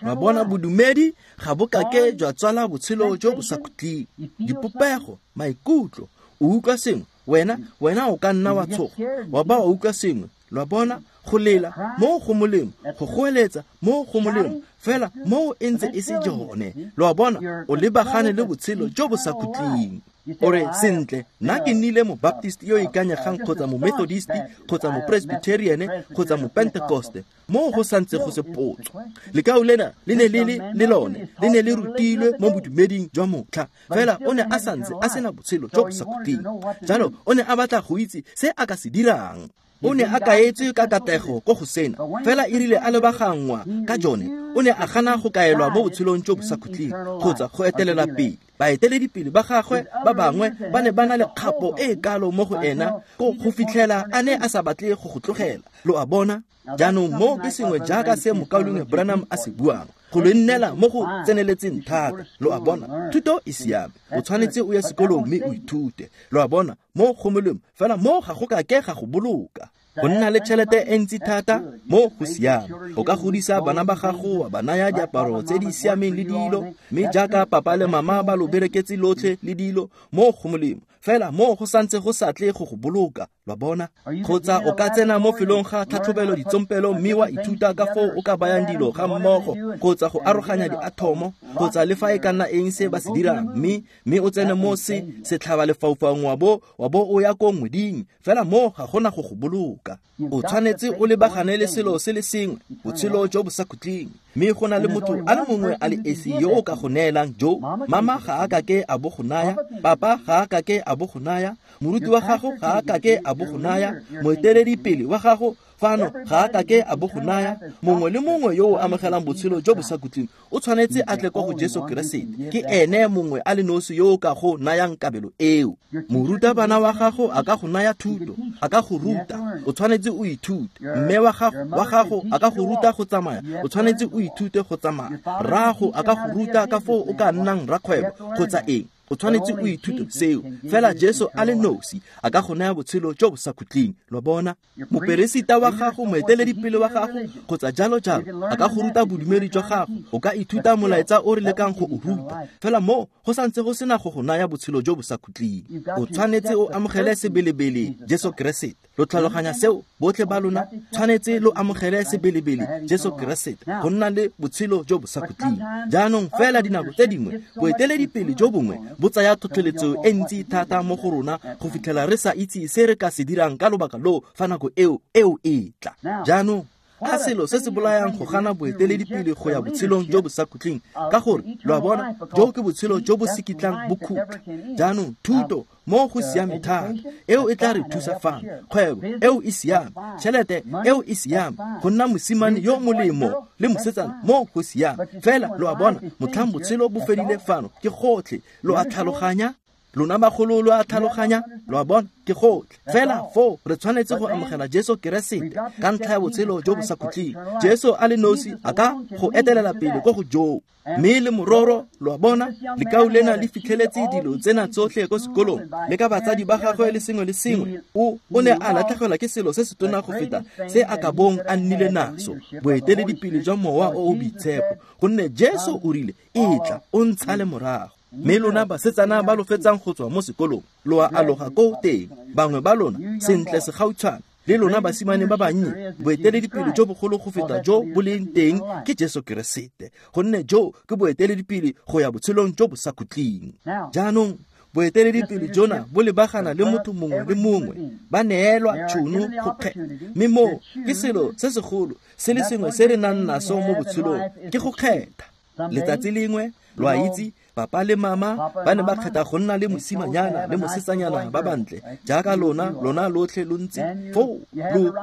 E: Wa bona, bodumedi ga bo kake jwa tswala botshelo jo bo sa khutleng. Dipopego, maikutlo, o utlwa sengwe, wena o ka nna wa tshoga, wa ba wa utlwa sengwe. Lo a bona, go lela mo go molemo, go goeletsa mo go molemo, fela mo e ntse e se jone. Lo a bona, o lebagane le botshelo jo bo sa khutleng. O re, sentle, nna ke nnile mo-Baptist yo ikanyegang, kgotsa mo-Methodist, kgotsa mo-Presbyterian, kgotsa mo-Pentecoste. Mo go santse go se potso. Lekau lena le ne le le lone, le ne le rutilwe mo bodumeding jwa motlha, fela o ne a santse a sena botshelo jo bo sa khutleng. Jalo o ne a batla go itse se a ka se dirang. O ne a kaetswe ka katlego ko go sena, fela e rile a lebagangwa ka jone, o ne a gana go kaelwa mo botshelong jo bo sa khutleng kgotsa go etelela pele. Baeteledipele ba gagwe ba bangwe ba ne ba na le kgapo e kalo mo go ena go fitlhela a ne a sa batle go go tlogela. Lo a bona? Jaanong mo ke sengwe jaaka se mokaulengwe Branham a se buang, go lo nnela mo go tseneletseng thata. Lo a bona? Thuto e siame, o tshwanetse o ye sekolong mme o ithute. Lo a bona? Mo go molemo, fela mo ga go kake ga go boloka. Go nna le tšhelete e ntsi thata, mo go siame. O ka godisa bana ba gago, wa ba naya diaparo tse di siameng le dilo, mme jaaka papa le mama ba lo bereketse lotlhe le dilo, mo go molemo. Fela mo go santse go sa tle go go boloka. Lo a bona? Kgotsa o ka tsena mo felong ga tlhatlhobelo ditsompelo mme wa ithuta ka foo o ka bayang dilo ga mmogo, kgotsa go aroganya diathomo, kgotsa le fa e ka nna eng se ba se dirang, mme o tsene mo se setlhaba lefaufaung wa bo o ya ko ngweding. Fela mo ga gona go go boloka. O tshwanetse o lebagane le selo se le sengwe, botshelo jo bo sa khutleng. Mme go na le motho a le mongwe a le esi yo o ka go neelang jo. Mama ga a kake a bo go naya, papa ga a kake a bo go naya, moruti wa gago ga a kake a bo go naya, moeteledipele wa gago fano ga a kake a bo go naya. Mongwe le mongwe yo o amogelang botshelo jo bo sa khutleng o tshwanetse a tle kwa go Jesu Keresete. Ke ene mongwe a le nosi yo o ka go nayang kabelo eo. Morutabana wa gago a ka go naya thuto, a ka go ruta, o tshwanetse o ithute. Mme wa gago a ka go ruta go tsamaya, o tshwanetse o ithute go tsamaya. Rrago a ka go ruta ka foo o ka nnang rakgwebo kgotsa eng, o tshwanetse o ithute seo. Fela Jesu a le nosi a ka go naya botshelo jo bo sa khutleng. Lo bona? Moperesita wa gago, moeteledipele wa gago, kgotsa jalo jalo, a ka go ruta bodumedi jwa gago. O ka ithuta molaetsa o re lekang go o ruta, fela mo go santse go sena go go naya botshelo jo bo sa khutleng. O tshwanetse o amogele sebelebele Jesu Keresete. Lo tlhaloganya seo botlhe ba lona? Tshwanetse lo amogele sebelebele Jesu Keresete go nna le botshelo jo bo sa khutleng. Jaanong fela dinako tse dingwe boeteledipele jo bongwe bo tsaya tlhotlheletso e ntsi thata mo go rona go fitlhela re sa itse se re ka se dirang ka lobaka loo fa nako eo e tla. Jaanong a selo se se bolayang go gana boeteledipele go ya botshelong jo bo sa khutleng, ka gore lo a bona, jo ke botshelo jo bo se kitlang bo khutla. Jaanong thuto mo go siame thata, eo e tla re thusa fano. Kgwebo eo e siame, tšhelete eo e siame, go nna mosimane yo molemo le mosetsana mo go siame. Fela lo a bona, motlhang botshelo bo fedile fano ke gotlhe. Lo a tlhaloganya? Lona bagolo lo a tlhaloganya? Lo a bona, ke gotlhe. Fela foo re tshwanetse go amogela Jesu Keresete ka ntlha ya botshelo jo bo sa khutleng. Jesu a le nosi a ka go etelela pele ko go joo. Mme le mororo, lo a bona, lekau lena le fitlheletse dilo tsena tsotlhe ko sekolong le ka batsadi ba gagwe le sengwe le sengwe. O ne a latlhegelwa ke selo se se tona go feta se a ka bong a nnile naso, boeteledipele jwa Mowa o o Boitshepo, gonne Jesu o rile, e tla o ntshale morago. Mme lona basetsana ba lo fetsang go tswa mo sekolong, lo a aloga ko teng, bangwe ba lona sentle segautshwane, le lona basimane ba bannye, boeteledipele jo bogolo go feta jo bo leng teng ke Jesu Keresete, gonne jo ke boeteledipele go ya botshelong jo bo sa khutleng. Jaanong boeteledipele jona bo lebagana le motho mongwe le mongwe, ba neelwa tšhono go kgetha. Mme moo ke selo se segolo se le sengwe se re nang naso mo botshelong, ke go kgetha. Letsatsi lengwe, lo a itse, papa le mama ba ne ba kgetha go nna le mosimanyana le mosetsanyana ba bantle jaaka lona lotlhe lo ntse foo.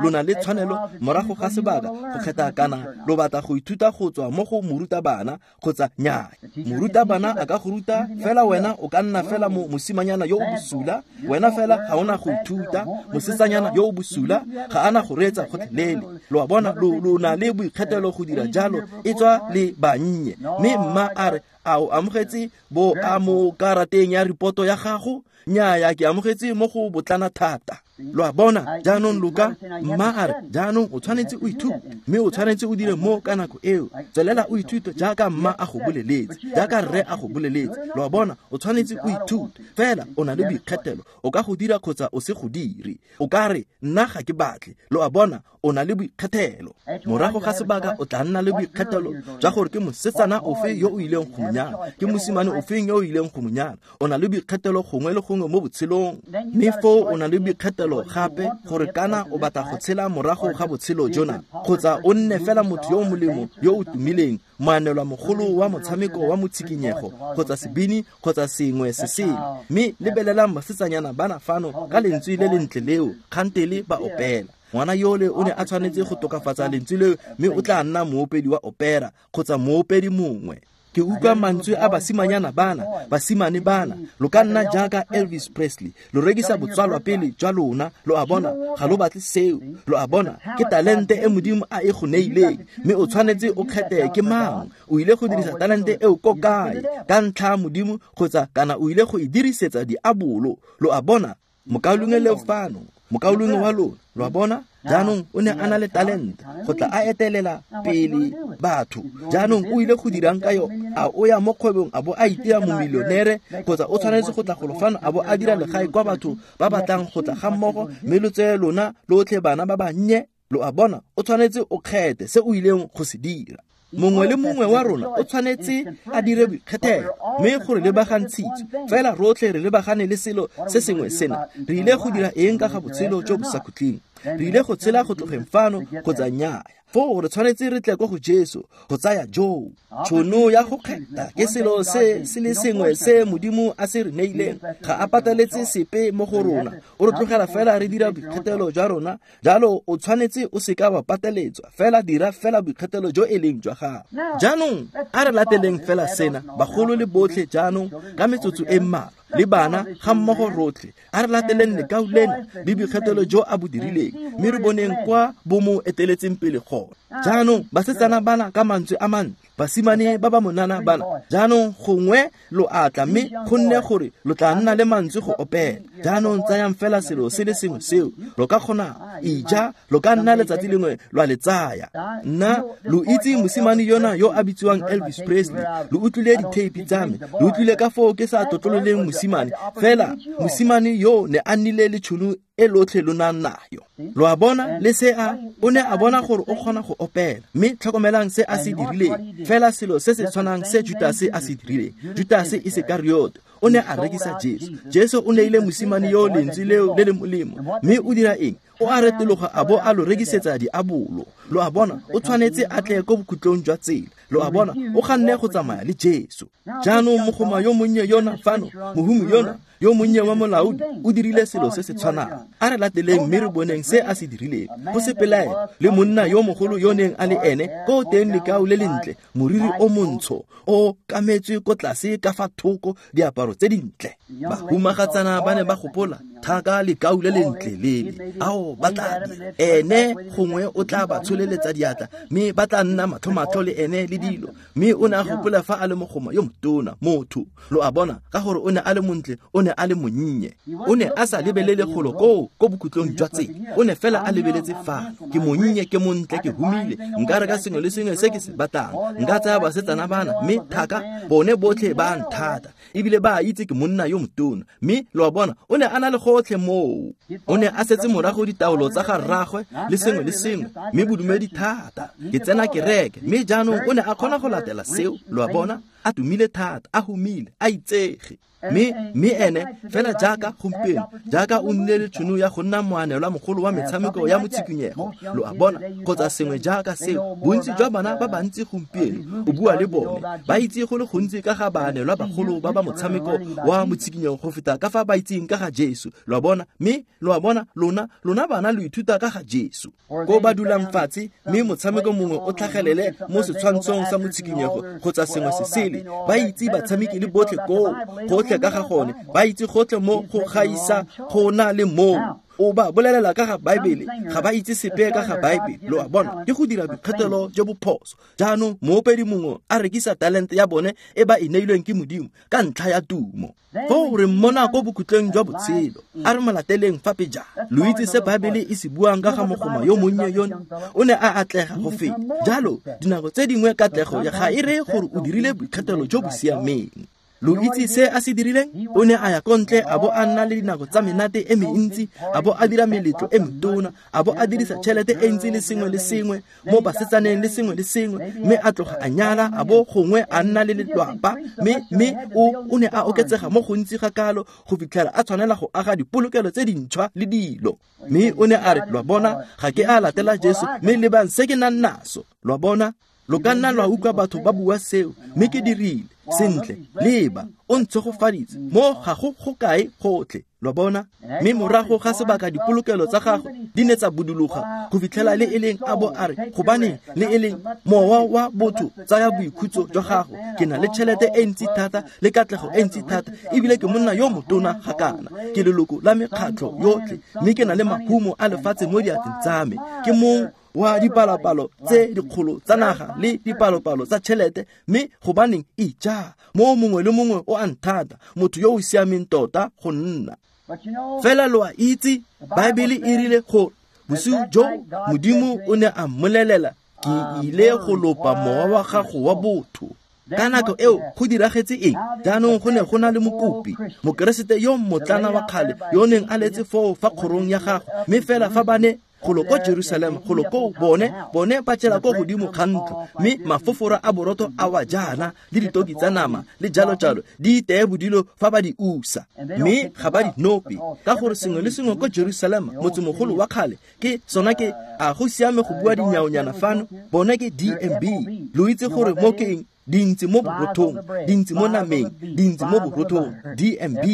E: Lo na le tshwanelo morago ga sebaka go kgetha kana lo batla go ithuta go tswa mo go morutabana kgotsa nnyaa. Morutabana a ka go ruta, fela wena o ka nna fela mosimanyana yo o bosula, wena fela ga ona go ithuta. Mosetsanyana yo o bosula ga ana go reetsa gotlhelele. Lo a bona, lo na le boikgethelo go dira jalo, e tswa le bannye. Mme mma a re, a o amogetse bo a mo karateng ya ripoto ya gago? Nnyaa, ke amogetse mo go botlana thata. Lo a bona, jaanong Luka, mma a re, jaanong o tshwanetse o ithute, mme o tshwanetse o dire mo ka nako eo. Tswelela o ithute jaaka mma a go boleletse, jaaka rre a go boleletse. Lo a bona, o tshwanetse o ithute, fela o na le boikgethelo, o ka go dira kgotsa o se go dire. O ka re, nna ga ke batle. Lo a bona, o na le boikgethelo. Morago ga sebaka o tla nna le boikgethelo jwa gore ke mosetsana ofe yo o ileng go monyala, ke mosimane ofeng yo o ileng go monyala. O na le boikgethelo gongwe le gongwe mo botshelong. Mme foo o na le boikgethelo gape gore kana o batla go tshela morago ga botshelo jona, kgotsa o nne fela motho yo o molemo yo o tumileng, moanelwa mogolo wa motshameko wa motshikinyego, kgotsa sebini, kgotsa sengwe se sele. Mme lebelelang basetsanyana bana fano ka lentswe le lentle leo, kgantele ba opela. Ngwana yole o ne a tshwanetse go tokafatsa lentswe leo, mme o tla nna moopedi wa opera kgotsa moopedi mongwe. Ke utlwa mantswe a basimanyana bana, basimane bana, lo ka nna jaaka Elvis Presley, lo rekisa botswalwa pele jwa lona. Lo a bona, ga lo batle seo. Lo a bona, ke talente e Modimo a e go neileng, mme o tshwanetse o kgethe ke mang. O ile go dirisa talente eo ko kae, ka ntlha ya Modimo kgotsa kana o ile go e dirisetsa diabolo. Lo a bona, mokaulengwe le fano, mokaulengwe wa lona, lo a bona. Jaanong o ne a na le talente go tla a etelela pele batho. Jaanong o ile go dirang ka yone? A o ya mo kgwebong a bo a itira momilionere, kgotsa o tshwanetse go tla golo fano a bo a dira legae kwa batho ba batlang go tla ga mmogo, mme lo tseye lona lotlhe bana ba bannye? Lo a bona, o tshwanetse o kgethe se o ileng go se dira. Mongwe le mongwe wa rona o tshwanetse a dire boikgethelo, mme gore lebagantshitswe fela rotlhe re lebagane le selo se sengwe sena. Re ile go dira eng ka ga botshelo jo bo sa khutleng? Re ile go tshela go tlogeng fano kgotsa nnyaa? Foo re tshwanetse re tle ko go Jesu go tsaya joo. Tšhono ya go kgetha ke selo se se le sengwe se Modimo a se re neileng. Ga a pateletse sepe mo go rona, o re tlogela fela re dira boikgethelo jwa rona. Jalo o tshwanetse o seka wa pateletswa, fela dira fela boikgethelo jo e leng jwa gago. Jaanong a re lateleng fela sena, bagolo le botlhe jaanong ka metsotso e mmalwa, le bana ga mmogo rotlhe. A re lateleng lekau lena le boikgethelo jo a bo dirileng, mme re boneng kwa bo mo eteletseng pele gone. Jaanong basetsana bana ka mantswe a mantle, basimane ba ba monana bana, jaanong gongwe lo atla, mme gonne gore lo tla nna le mantswe go opela. Jaanong tsayang fela selo se le sengwe seo lo ka kgona ija, lo ka nna letsatsi lengwe lwa le tsaya. Nna lo itse mosimane yona yo a bitsiwang Elvis Presley, lo utlwile ditheipi tsa me, lo utlwile ka foo ke sa tlotlololeng mosimane, fela mosimane yo ne a nnile le tšhono e lotlhe lo nang nayo. Lo a bona, le se a o ne a bona gore o kgona go opela, mme tlhokomelang se a se dirileng, fela selo se se tshwanang se Judase a se dirileng. Judase Isekariot O ne a rekisa Jesu. Jesu o neile mosimane yo lentswe leo le le molemo, mme o dira eng? O a retologa a bo a lo rekisetsa diabolo. Lo a bona, o tshwanetse a tle ko bokhutlong jwa tsela. Lo a bona, o ganne go tsamaya le Jesu. Jaanong mogoma yo monnye yona fano, mohumi yona yo monnye wa molaodi, o dirile selo se se tshwanang. A re lateleng mme re boneng se a se dirileng. Go se pelaelo le monna yo mogolo yo neng a le ene ko teng lekao le lentle, moriri o montsho o kametswe ko tlase ka fa thoko, diaparo tse dintle. Bahumagatsana ba ne ba gopola thaka lekau le lentle lele, ao ba tla ene gongwe o tla ba tsholeletsa diatla mme ba tla nna matlho-matlho le ene le dilo. Mme o ne a gopola fa a le mogoma yo motona motho. Lo a bona, ka gore o ne a le montle, o ne a le monnye. O ne a sa lebelele golo koo ko bokhutlong jwa tsela, o ne fela a lebeletse fano. Ke monnye, ke montle, ke humile, nka reka sengwe le sengwe se ke se batlang, nka tsaya basetsana bana, mme thaka bone botlhe ba nthata, ebile ba itse ke monna yo motona. Mme lo a bona, o ne a na le gotlhe moo. O ne a setse morago ditaolo tsa ga rraagwe le sengwe le sengwe, mme bodumedi thata, ke tsena kereke. Mme jaanong o ne a kgona go latela seo. Lo a bona, a tumile thata, a humile, a itsege. Mme ene fela jaaka gompieno, jaaka o nnile le tšhono ya go nna moanelwa mogolo wa metshameko ya motshikinyego. Lo a bona, kgotsa sengwe jaaka seo. Bontsi jwa bana ba bantsi gompieno o bua le bone, ba itse go le gontsi ka ga baanelwa bagolo ba ba motshameko wa motshikinyego go feta ka fa ba itseng ka ga Jesu. Lo a bona, mme lo a bona, lona bana lo ithuta ka ga Jesu. Ko ba dulang fatshe, mme motshameko mongwe o tlhagelele mo setshwantshong sa motshikinyego kgotsa sengwe se sele, ba itse batshameki le botlhe koo, gotlhe ka ga gone, ba itse gotlhe mo go gaisa go na le moo. O ba bolelela ka ga Baebele, ga ba itse sepe ka ga Baebele. Lo a bona, ke go dira boikgethelo jo bo phoso. Jaanong moopedi mongwe a rekisa talente ya bone e ba e neilweng ke Modimo ka ntlha ya tumo. Foo re mmona ko bokhutlong jwa botshelo. A re mo lateleng fa pejana. Lo itse se Baebele e se buang ka ga mogoma yo monnye yone? O ne a atlega go feta. Jalo dinako tse dingwe katlego ga e reye gore o dirile boikgethelo jo bo siameng. Lo itse se a se dirileng? O ne a ya ko ntle a bo a nna le dinako tsa menate e mentsi, a bo a dira meletlo e metona, a bo a dirisa tšhelete e ntsi le sengwe le sengwe mo basetsaneng le sengwe le sengwe, mme a tloga a nyala, a bo gongwe a nna le lelwapa, mme o ne a oketsega mo gontsi ga kalo go fitlhela a tshwanela go aga dipolokelo tse dintšhwa le dilo. Mme o ne a re, lo a bona, ga ke a latela Jesu, mme lebang se ke nang naso. Lo a bona, lo ka nna lwa utlwa batho ba bua seo, mme ke dirile sentle. Leba, o ntshegofaditse mo ga go go kae gotlhe. Lo bona, mme morago ga sebaka dipolokelo tsa gagwe di ne tsa buduloga go fitlhela le e leng a bo a re, gobaneng le e leng mowa wa botho tsaya boikhutso jwa gago, ke na le tšhelete e ntsi thata le katlego e ntsi thata, ebile ke monna yo motona ga kana, ke leloko la mekgatlho yotlhe, mme ke na le mahumo a lefatshe mo diatleng tsa me, ke mong wa dipalopalo tse dikgolo tsa naga le dipalopalo tsa tšhelete, mme gobaneng ija mo mongwe le mongwe o a nthata, motho yo o siameng tota go nna. Fela lo a itse, Baebele e rile gore bosigo jo Modimo o ne a mmolelela, ke ile go lopa mowa wa gago wa botho. Ka nako eo go diragetse eng? Jaanong go ne go na le mokopi, mokeresete yo mmotlana wa kgale yo neng a letse foo fa kgorong ya gagwe, mme fela fa ba ne golo ko Jerusalema, golo ko bone ba tšela ko godimo ga ntlo, mme mafofora a borotho a wa jaana le ditoki tsa nama le jalo jalo di iteye bodilo fa ba di usa, mme ga ba di nope, ka gore sengwe le sengwe ko Jerusalema, motsemogolo wa kgale, ke sona ke a go siame go bua dinyaonyana fano, bone ke DMB. Lo itse gore mo ke eng? Dintsi mo borothong, dintsi mo nameng, dintsi mo borothong, DMB,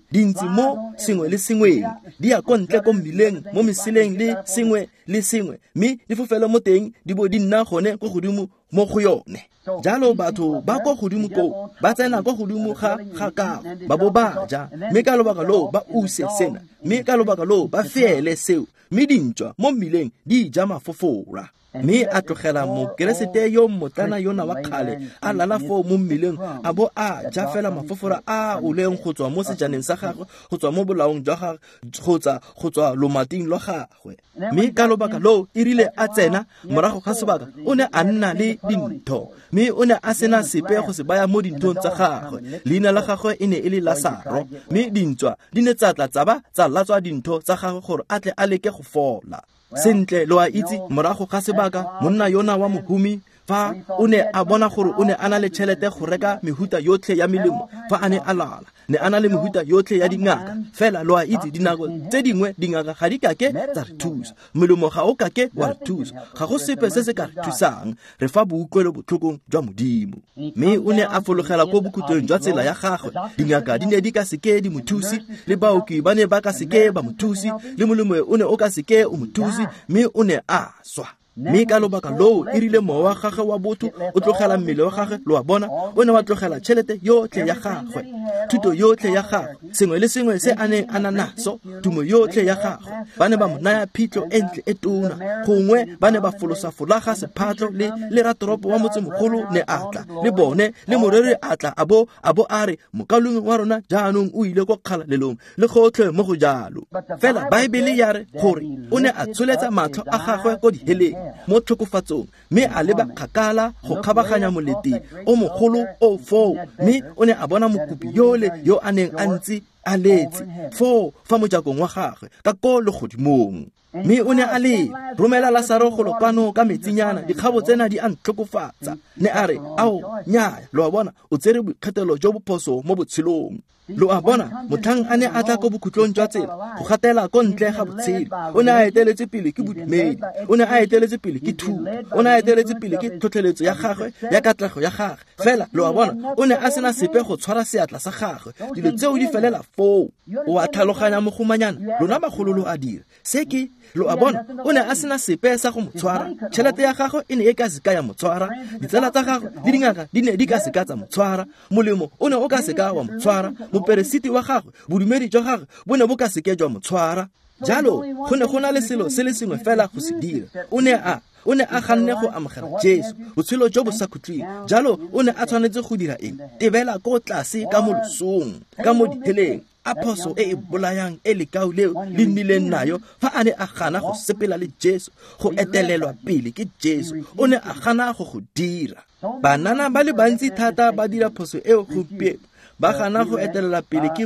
E: dintsi mo sengwe le sengweng, di ya ko ntle ko mmileng, mo meseleng le sengwe le sengwe, mme di fofele mo teng di bo di nna gone ko godimo mo go yone. Jalo batho ba ko godimo koo ba tsena ko godimo ga kago, ba bo ba ja, mme ka lobaka loo ba use sena, mme ka lobaka loo ba feele seo, mme dintšwa mo mmileng di ja mafofora. Mme a tlogela mokeresete yo mmotlana yona wa kgale a lala foo mo mmeleng, a bo a ja fela mafofora a oleng go tswa mo sejaneng sa gagwe, go tswa mo bolaong jwa gagwe, kgotsa go tswa lomating lwa gagwe. Mme ka lobaka loo e rile a tsena morago ga sebaka, o ne a nna le dintho, mme o ne a sena sepe go se baya mo dinthong tsa gagwe. Leina la gagwe e ne e le Lasaro, mme dintswa di ne tsa tla tsa ba tsa latswa dintho tsa gagwe gore a tle a leke go fola. Sentle, lo a itse, morago ga sebaka monna yona wa mohumi Fa o ne a bona gore o ne a na le tšhelete go reka mehuta yotlhe ya melemo fa a ne a lwala, ne a na le mehuta yotlhe ya dingaka. Fela lo a itse dinako tse dingwe dingaka ga di kake tsa re thusa, melemo ga o kake wa re thusa, ga go sepe se se ka re thusang, re fa boutlwelo botlhokong jwa Modimo. Mme o ne a fologela ko bokhutlong jwa tsela ya gagwe. Dingaka di ne di ka seke di mo thuse, le baoki ba ne ba ka seke ba mo thuse, le molemo o ne o ka seke o mo thuse, mme o ne a swa. Mme ka lobaka loo e rile mowa wa gagwe wa botho o tlogela mmele wa gagwe, lo a bona, o ne wa tlogela tšhelete yotlhe ya gagwe, thuto yotlhe ya gagwe, sengwe le sengwe se a neng a na naso, tumo yotlhe ya gagwe. Ba ne ba mo naya phitlho e ntle e tona, gongwe ba ne ba folosa folaga sephatlo, le ratoropo wa motsemogolo ne a tla le bone, le moreri a tla a bo a re mokaulengwe wa rona jaanong o ile ko kgalalelong, le gotlhe mo go jalo. Fela Baebele ya re gore o ne a tsholetsa matlho a gagwe ko diheleng mo tlhokofatsong, mme a leba kgakala go kgabaganya molete o mogolo o foo, mme o ne a bona mokopi yole yo a neng a ntse a letse foo fa mojakong wa gagwe ka ko legodimong. Mme o ne a le romela Lasaro golo kwano ka metsinyana, dikgabo tsena di a ntlhokofatsa. Ne a re, ao, nnyaya, lo a bona, o tsere boikgethelo jo bophoso mo botshelong. Lo a bona, motlhang a ne a tla ko bokhutlong jwa tsela go gatela ko ntle ga botshelo, o ne a eteletse pele ke bodumedi, o ne a eteletse pele ke thuto, o ne a eteletse pele ke tlhotlheletso ya gagwe ya katlego ya gagwe. Fela lo a bona, o ne a sena sepe go tshwara seatla sa gagwe. Dilo tseo di felela foo. O a tlhaloganya mogomanyana, lona bagolo lo a dira se ke, lo a bona, o ne a sena sepe sa go mo tshwara. Tšhelete ya gagwe e ne e ka seka ya mo tshwara, ditsala tsa gagwe le dingaka di ne di ka seka tsa mo tshwara, molemo o ne o ka seka wa mo tshwara, moperesiti wa gagwe, bodumedi jwa gagwe bo ne bo ka seke jwa mo tshwara. Jalo go ne go na le selo se le sengwe fela go se dira. O ne a ganne go amogela Jesu, botshelo jo bo sa khutleng. Jalo o ne a tshwanetse go dira eng? Tebela ko tlase ka mo losong, ka mo diheleng. A phoso e e bolayang e lekau leo le nnileng nayo fa a ne a gana go sepela le Jesu, go etelelwa pele ke Jesu. O ne a gana go go dira. Banana ba le bantsi thata ba dira phoso eo gompieno, ba gana go etelela pele ke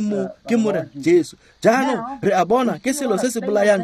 E: Morena Jesu. Jaanong re a bona ke selo se se bolayang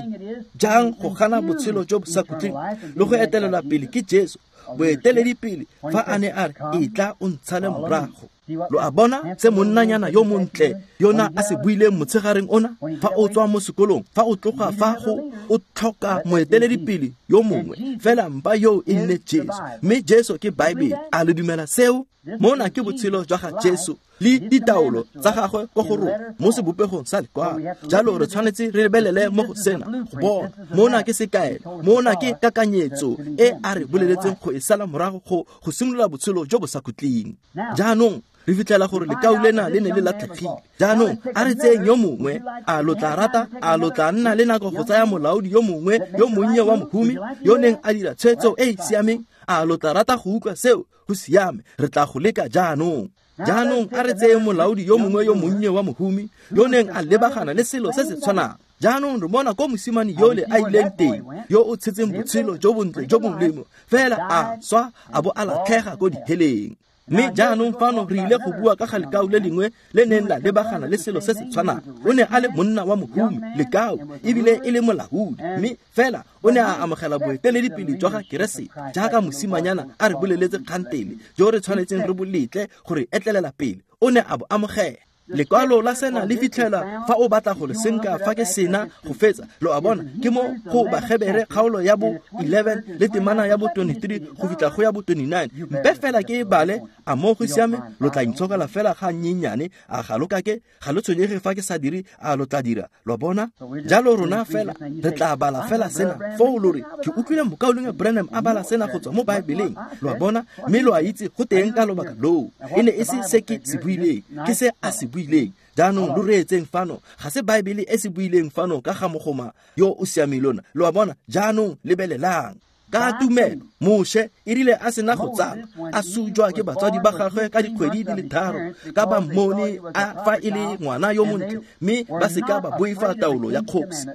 E: jang go gana botshelo jo bo sa khutleng le go etelelwa pele ke Jesu, boeteledipele fa a ne a re e tla o ntshale morago. Lo a bona se monnanyana yo montle yona a se buileng motshegareng ona, fa o tswa mo sekolong, fa o tloga fa go o tlhoka moeteledipele yo mongwe, fela mpa yo e nne Jesu. Mme Jesu ke Baebele. A le dumela seo? Mona ke botshelo jwa ga Jesu le ditaolo tsa gagwe ko go rona mo sebopegong sa lekwalo. Jalo re tshwanetse re lebelele mo go sena go bona. Mona ke sekaelo, mona ke kakanyetso e a re boleletseng go e sala morago go simolola botshelo jo bo sa khutleng. Jaanong re fitlhela gore lekau lena le ne le latlhegile. Jaanong a re tseyeng yo mongwe. A lo tla rata, a lo tla nna le nako go tsaya molaodi yo mongwe yo monnye wa mohumi yo neng a dira tshwetso e e siameng? A lo tla rata go utlwa seo? Go siame, re tla go leka jaanong. Jaanong a re tseye molaodi yo mongwe yo monnye wa mohumi yo neng a lebagana le selo se se tshwanang. Jaanong re bona ko mosimane yole a ileng teng, yo o tshetseng botshelo jo bontle jo molemo, fela a swa a bo a latlhega ko diheleng. Mme jaanong fano re ile go bua ka ga lekau le lengwe le neng la lebagana le selo se se tshwanang. O ne a le monna wa mohumi, lekau, ebile e le molaodi, mme fela o ne a amogela boeteledipele jwa ga Keresete jaaka mosimanyana a re boleletse kgantele jo re tshwanetseng re boletle gore etlelela pele. O ne a bo amogela. Lekwalo la sena le fitlhela fa o batla go le senka fa ke sena go fetsa. Lo a bona, ke mo go Bagebere kgaolo ya bo 11 le temana ya bo 23 go fitlha go ya bo 29. Mpe fela ke e bale, a mo go siame, lo tla intshokela fela ga nnyenyane, a ga lo kake, ga lo tshwenyege fa ke sa dire, a lo tla dira. Lo a bona? Jalo rona fela re tla bala fela sena foo lo re, ke utlwile mokaulengwe Branham a bala sena go tswa mo Baebeleng. Lo a bona? Mme lo a itse go teng ka lobaka loo. E ne e se se ke se buileng, ke se a se buileng. Jaanong lo reetseng fano, ga se Baebele e se buileng fano ka ga mogoma yo o siameng lona. Lo a bona? Jaanong lebelelang. Ka tumelo Moshe e rile a sena go tsala, a sujwa ke batswadi ba gagwe ka dikgwedi di le 3, ka ba mmone a fa e le ngwana yo montle, mme ba seka ba boifa taolo ya kgosi.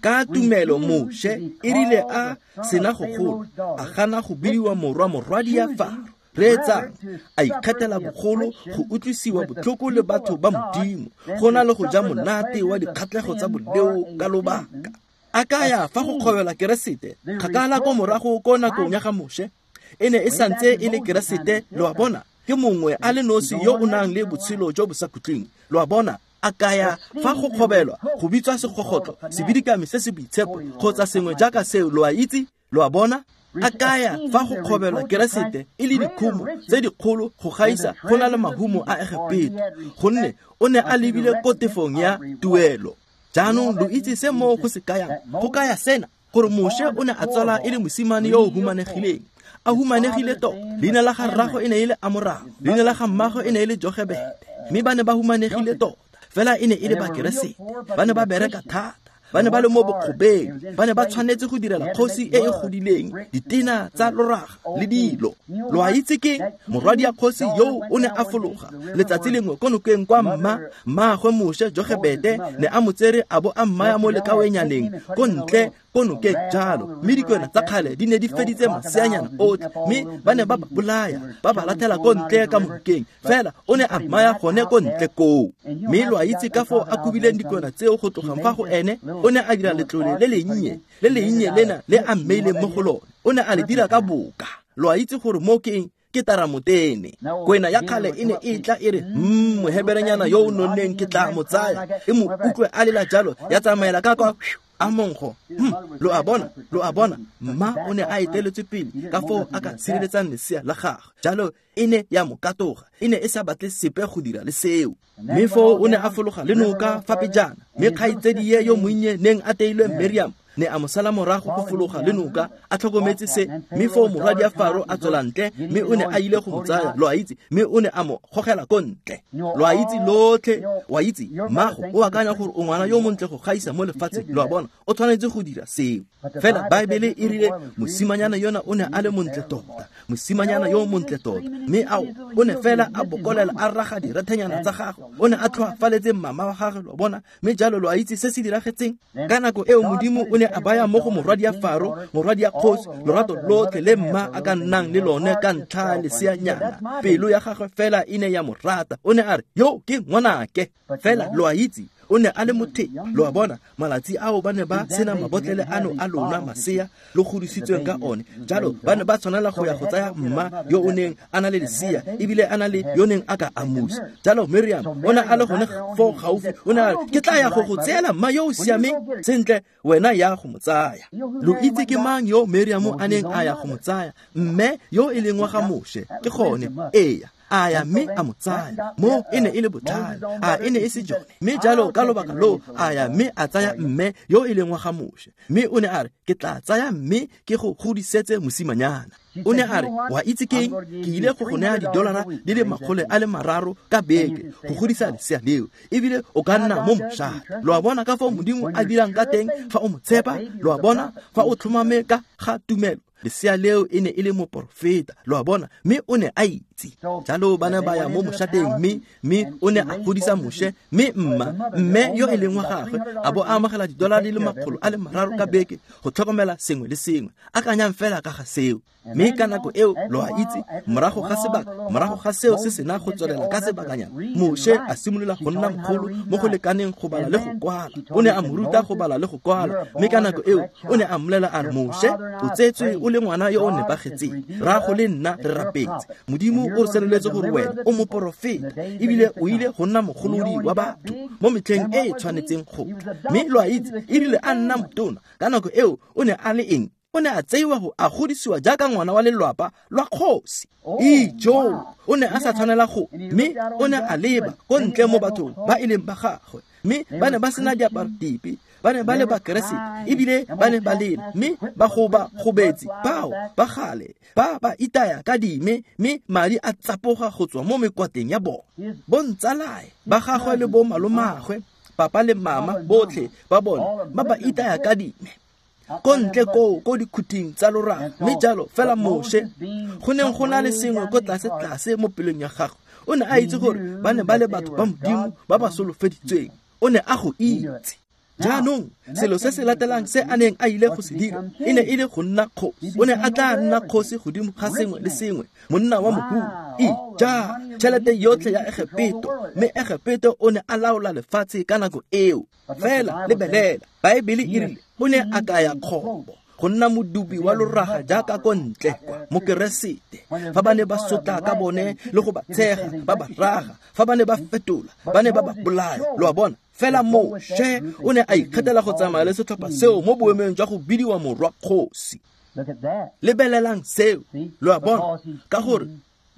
E: Ka tumelo Moshe e rile a sena go gola, a gana go bidiwa morwa morwadi ya Faro. Reetsang, a ikgethela bogolo go utlwisiwa botlhoko le batho ba Modimo, go na le go ja monate wa dikgatlhego tsa boleo ka lobaka. A kaya fa go kgobelwa Keresete kgakala ko morago ko nakong ya ga Moshe, e ne e santse e le Keresete, lo a bona, ke mongwe a le nosi yo o nang le botshelo jo bo sa khutleng, lo a bona. A kaya fa go kgobelwa go bitswa segogotlo, sebidikami se se boitshepo kgotsa sengwe jaaka seo, lo a itse, lo a bona. A kaya fa go kgobelwa Keresete e le dikhumo tse dikgolo go gaisa go na le mahumo a Egepeto, gonne o ne a lebile ko tefong ya tuelo. Jaanong lo itse se moo go se kayang? Go kaya sena, gore Moshe o ne a tsala e le mosimane yo o humanegileng, a humanegile tota. Leina la ga rrago e ne e le Amoramo, leina la ga mmago e ne e le Jogebete, mme ba ne ba humanegile tota. Fela e ne e le Bakeresete, ba ne ba bereka thata, ba ne ba le mo bokgobeng, ba ne ba tshwanetse go direla kgosi e e godileng ditena tsa loraga le dilo. Lo a itse ke morwadi ya kgosi yo o ne a fologa letsatsi lengwe ko nokeng kwa mmaagwe Moshe Jogebete ne a mo tsere a bo a mmaya mo lekawenyaneng ko ntle ko nokeng jalo, mme dikwena tsa kgale di ne di feditse maseanyana otlhe, mme ba ne ba ba bolaya ba ba latlhela ko ntle ka monokeng. Fela o ne a mmaya gone ko ntle koo. Mme lo a itse ka foo a kobileng dikwena tseo go tlogang fa go ene, o ne a dira letlole le lennye lena le a mmeileng mo go lone, o ne a le dira ka boka. Lo a itse gore mo ke eng? Ke taramotene. Kwena ya kgale e ne e tla e re, moheberenyana yo o nonneng ke tla mo tsaya, e mo utlwe a lela jalo, ya tsamaela ka kwa a monkgo. Lo a bona, mma o ne a eteletswe pele ka foo a ka tshireletsang lesea la gagwe. Jalo e ne ya mo katoga, e ne e sa batle sepe go dira le seo. Mme foo o ne a fologa le noka fa pejana, mme kgaitsedie yo monnye neng a teilwe Miriam ne a mo sala morago go fologa le noka a tlhokometse se. Mme foo morwadi ya Faro a tswela ntle, mme o ne a ile go mo tsaya, lo a itse, mme o ne a mo gogela ko ntle. Lo a itse lotlhe, wa itse, mmago o akanya gore o ngwana yo montle go gaisa mo lefatsheng, lo a bona, o tshwanetse go dira seo. Fela Baebele e rile mosimanyana yona o ne a le montle tota, mosimanyana yo montle tota, mme ao o ne fela a bokolela a raga direthenyana tsa gagwe, o ne a tlhoafaletse mama wa gagwe, lo bona. Mme jalo lo a itse se se diragetseng ka nako eo, Modimo o ne a baya mo go morwadi ya Faro, morwadi ya kgosi, lorato lotlhe le mma a ka nnang le lone ka ntlha ya leseanyana. Pelo ya gagwe fela e ne ya mo rata, o ne a re, yo ke ngwanake. Fela lo a itse o ne a le mothei, lo a bona. Malatsi ao ba ne ba sena mabotlele ano a lona masea lo godisitsweng ka one, jalo ba ne ba tshwanela go ya go tsaya mma yo o neng a na le lesea ebile a na le yo neng a ka amusa. Jalo Miriam o ne a le gone foo gaufi, o ne a re, ke tla ya go go tseela mma yo o siameng sentle, wena ya go mo tsaya. Lo itse ke mang yo Miriam a neng a ya go mo tsaya? Mme yo e leng wa ga Moshe, ke gone, eya. A ya mme a mo tsaya. Mo e ne e le botlhale, a e ne e se jone. Mme jalo ka lobaka loo a ya mme a tsaya mme yo e leng wa ga Moshe, mme o ne a re, ke tla tsaya mme ke go godisetse mosimanyana. O ne a re, wa itse keng, ke ile go go naya $300 ka beke go godisa lesea leo, ebile o ka nna mo mošate. Lo a bona ka foo Modimo a dirang ka teng fa o mo tshepa, lo a bona fa o tlhomame ka ga tumelo. Lesea leo e ne e le moporofeta, lo a bona, mme o ne a itse. Jalo ba ne ba ya mo mošateng, mme o ne a godisa Moshe, mme mme yo e leng wa gagwe a bo a amogela $300 ka beke go tlhokomela sengwe le sengwe. Akanyang fela ka ga seo. Mme ka nako eo, lo a itse, morago ga sebaka, morago ga seo se sena go tswelela ka sebakanyana, Moshe a simolola go nna mogolo mo go lekaneng go bala le go kwala. O ne a mo ruta go bala le go kwala, mme ka nako eo o ne a mmolela a re, Moshe, o tsetswe o le ngwana yo o nepagetseng, rrago le nna re rapetse, Modimo o re senoletse gore wena o moporofeta ebile o ile go nna mogolodi wa batho mo metlheng e e tshwanetseng go tla. Mme lo a itse, e rile a nna motona, ka nako eo o ne a le eng? O ne a tseiwa go a godisiwa jaaka ngwana wa lelwapa lwa kgosi. Ijo, o ne a sa tshwanela go, mme o ne a leba ko ntle mo bathong ba e leng ba gagwe, mme ba ne ba sena diaparo dipe, ba ne ba le Bakeresete ebile ba ne ba lela, mme ba goba gobetsi bao ba gale ba ba itaya ka dime, mme madi a tsapoga go tswa mo mekwateng ya bone. Bontsalae ba gagwe le bo malomagwe, papa le mama botlhe ba bone ba ba itaya ka dime ko ntle koo ko dikhuting tsa lorago. Mme jalo fela Moshe, go neng go na le sengwe ko tlase tlase mo pelong ya gagwe, o ne a itse gore ba ne ba le batho ba Modimo ba ba solofeditsweng. O ne a go itse. Jaanong selo se se latelang se a neng a ile go se dira e ne e le go nna kgosi. O ne a tla nna kgosi godimo ga sengwe le sengwe, monna wa mohumi. Ija tšhelete yotlhe ya Egepeto, mme Egepeto o ne a laola lefatshe ka nako eo. Fela lebelela, Baebele e rile o ne a kaya kgobo go nna modubi wa loraga jaaka ko ntle kwa mokeresete. Fa ba ne ba sotla ka bone le go ba tshega, ba ba raga, fa ba ne ba fetola, ba ne ba ba bolaya. Lo a bona? Fela Moshe o ne a ikgethela go tsamaya le setlhopha seo mo boemong jwa go bidiwa morwa kgosi. Lebelelang seo, lo a bona? Ka gore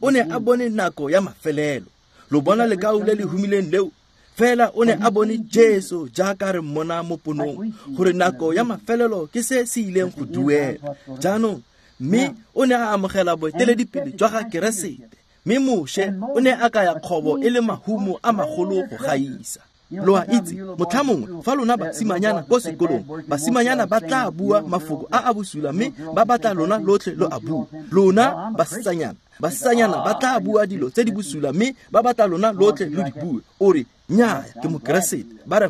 E: o ne a bone nako ya mafelelo. Lo bona lekau le le humileng leo? Fela o ne a bone Jesu jaaka re mmona mo ponong, gore nako ya mafelelo ke se se ileng go duela. Jaanong mme o ne a amogela boeteledipele jwa ga Keresete, mme Moshe o ne a kaya kgobo e le mahumo a magolo go gaisa. Lo a itse, motlha mongwe fa lona basimanyana ko sekolong, basimanyana ba tla bua mafoko a a bosula mme ba batla lona lotlhe lo a bua. Lona basetsanyana ba tla bua dilo tse di bosula mme ba batla lona lotlhe lo di bue. O re, nnyaa, ke mokeresete. Ba re,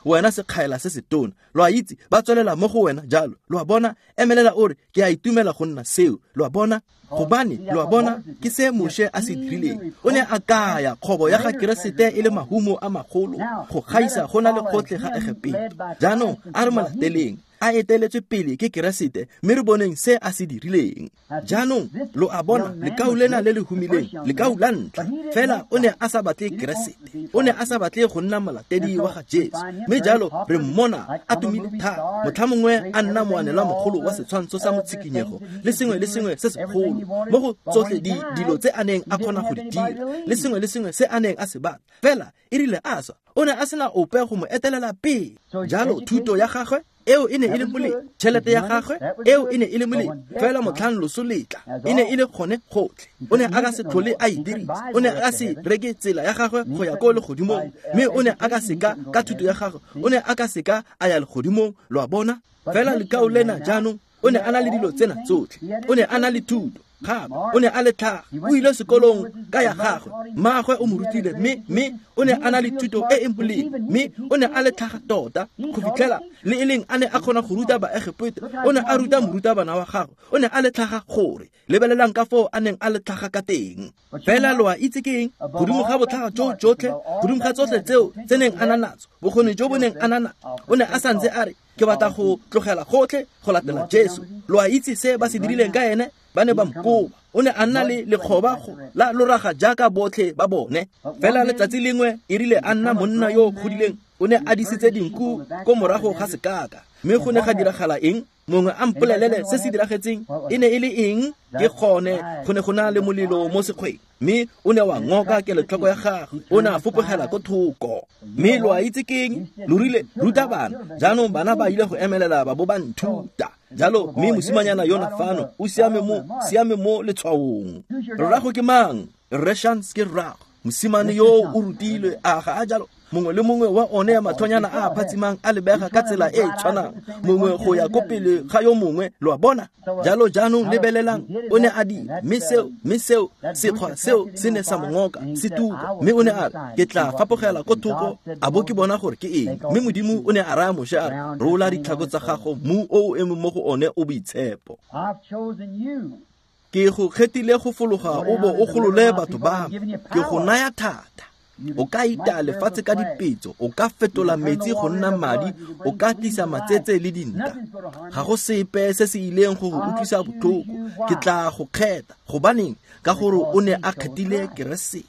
E: wena sekgaela se se tona. Lo a itse, ba tswelela mo go wena jalo. Lo a bona? Emelela o re, ke a itumela go nna seo. Lo a bona? Gobane, lo a bona, ke se Moshe a se dirileng. O ne a kaya kgobo ya ga Keresete e le mahumo a magolo go gaisa go na le gotlhe ga Egepeto. Jaanong a re mo lateleng, a eteletswe pele ke Keresete, mme re boneng se a se dirileng. Jaanong lo a bona, lekau lena le le humileng, lekau la ntlha, fela o ne a sa batle Keresete, o ne a sa batle go nna molatedi wa ga Jesu. Mme jalo re mmona a tumile thata, motlha mongwe a nna moanelwa mogolo wa setshwantsho sa motshikinyego le sengwe le sengwe se segolo mo go tsotlhe dilo tse a neng a kgona go di dira le sengwe le sengwe se a neng a se batla. Fela e rile a swa, o ne a sena ope go mo etelela pele. Jalo thuto ya gagwe eo e ne e le molemo, tšhelete ya gagwe eo e ne e le molemo, fela motlhang loso letla e ne e le gone gotlhe. O ne a ka se tlhole a e dirisa, o ne a ka se reke tsela ya gagwe go ya ko legodimong, mme o ne a ka seka ka thuto ya gagwe, o ne a ka seka a ya legodimong. Lo a bona? Fela lekau lena jaanong o ne a na le dilo tsena tsotlhe, o ne a na le thuto, gape o ne a le tlhaga, o ile sekolong ka ya gagwe, mmaagwe o mo rutile, mme o ne a na le thuto e e molemo, mme o ne a le tlhaga tota go fitlhela le e leng a ne a kgona go ruta Baegepeto. O ne a ruta morutabana wa gagwe, o ne a le tlhaga gore. Lebelelang ka foo a neng a le tlhaga ka teng. Fela lo a itse ke eng? Godimo ga botlhaga jo jotlhe, godimo ga tsotlhe tseo tse neng a na natso, bokgoni jo bo neng a na natso, o ne a santse a re, ke batla go tlogela gotlhe go latela Jesu. Lo a itse se ba se dirileng ka ene? Ba ne ba mokoba. O ne a nna le lekgoba la loraga jaaka botlhe ba bone. Fela letsatsi lengwe e rile a nna monna yo o godileng, o ne a disitse dinku ko morago ga sekaka. Mme go ne ga diragala eng? Mongwe a mpolelele se se diragetseng e ne e le eng? Ke gone go ne go na le molelo mo sekgweng, mme o ne wa ngoka kelotlhoko ya gagwe, o ne a fopogela ko thoko. Mme lo a itse ke eng? Lo rile, ruta bana. Jaanong bana ba ile go emelela ba bo ba nthuta. Jalo mme mosimanyana yona fano o siame mo letshwaong. Rrago ke mang? Rre Shans ke rrago. Mosimane yo o rutilwe, a ga a jalo? Mongwe le mongwe wa one ya mathonyana a a phatsimang a lebega ka tsela e e tshwanang, mongwe go ya ko pele ga yo mongwe. Lo a bona? Jalo jaanong lebelelang, o ne a dira, mme seo sekgwa seo se ne sa mo ngoka, se tuka. Mme o ne a re, ke tla fapogela ko thoko a bo ke bona gore ke eng. Mme Modimo o ne a raya Moshe a re, rola ditlhako tsa gago, mmu o o emeng mo go one o boitshepo. Ke go kgethile go fologa o bo o golole batho ba me, ke go naya thata. O ka ita lefatshe ka dipetso, o ka fetola metsi go nna madi, o ka tlisa matsetse le dinta. Ga go sepe se se ileng go go utlwisa botlhoko. Ke tla go kgetha. Gobaneng? Ka gore o ne a kgethile Keresete.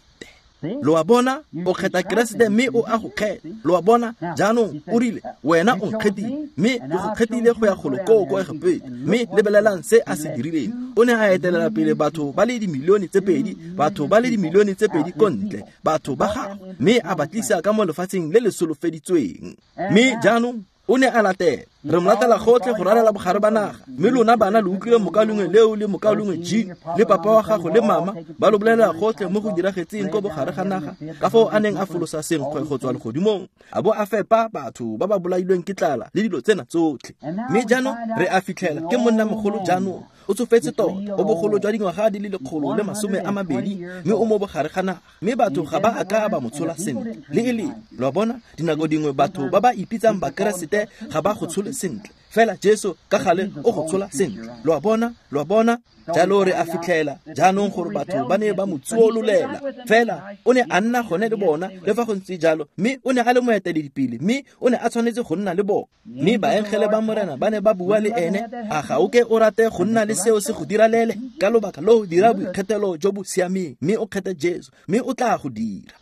E: Lo a bona? O kgetha Keresete mme o a go kgetha. Lo a bona? Jaanong o rile, wena o nkgethile, mme ke go kgethile go ya golo koo ko Egepeto. Mme lebelelang se a se dirileng. O ne a etelela pele batho ba le dimilione tse pedi, batho ba le dimilione tse pedi ko ntle, batho ba gagwe, mme a ba tlisa ka mo lefatsheng le le solofeditsweng. Mme jaanong o ne a latela. Re mo latela gotlhe go ralala bogare ba naga. Mme lona bana lo utlwile mokalengwe leo le mokalengwe Jean le papa wa gago le mama ba lo bolelela gotlhe mo go diragetseng ko bogare ga naga, ka foo a neng a folosa senkgwe go tswa legodimong, a bo a fepa batho ba ba bolailweng ke tlala le dilo tsena tsotlhe. Mme jaanong re a fitlhela ke monna mogolo jaanong. O tsofetse tota, o bogolo jwa dingwaga di le 120, mme o mo bogare ga naga, mme batho ga ba a ka ba mo tshola sentle. Le e leng, lo a bona, dinako dingwe batho ba ba ipitsang Bakeresete ga ba go tshole sentle. Fela Jesu ka gale o go tshola sentle. Lo a bona, lo a bona. Jalo re a fitlhela jaanong gore batho ba ne ba mo tsuololela. Fela o ne a nna gone le bona le fa go ntse jalo, mme o ne a le moeteledipele, mme o ne a tshwanetse go nna le bona. Mme baengele ba Morena ba ne ba bua le ene, a ga o ke o rate go nna le seo se go diralele? Ka lobaka loo dira boikgethelo jo bo siameng, mme o kgethe Jesu, mme o tla go dira.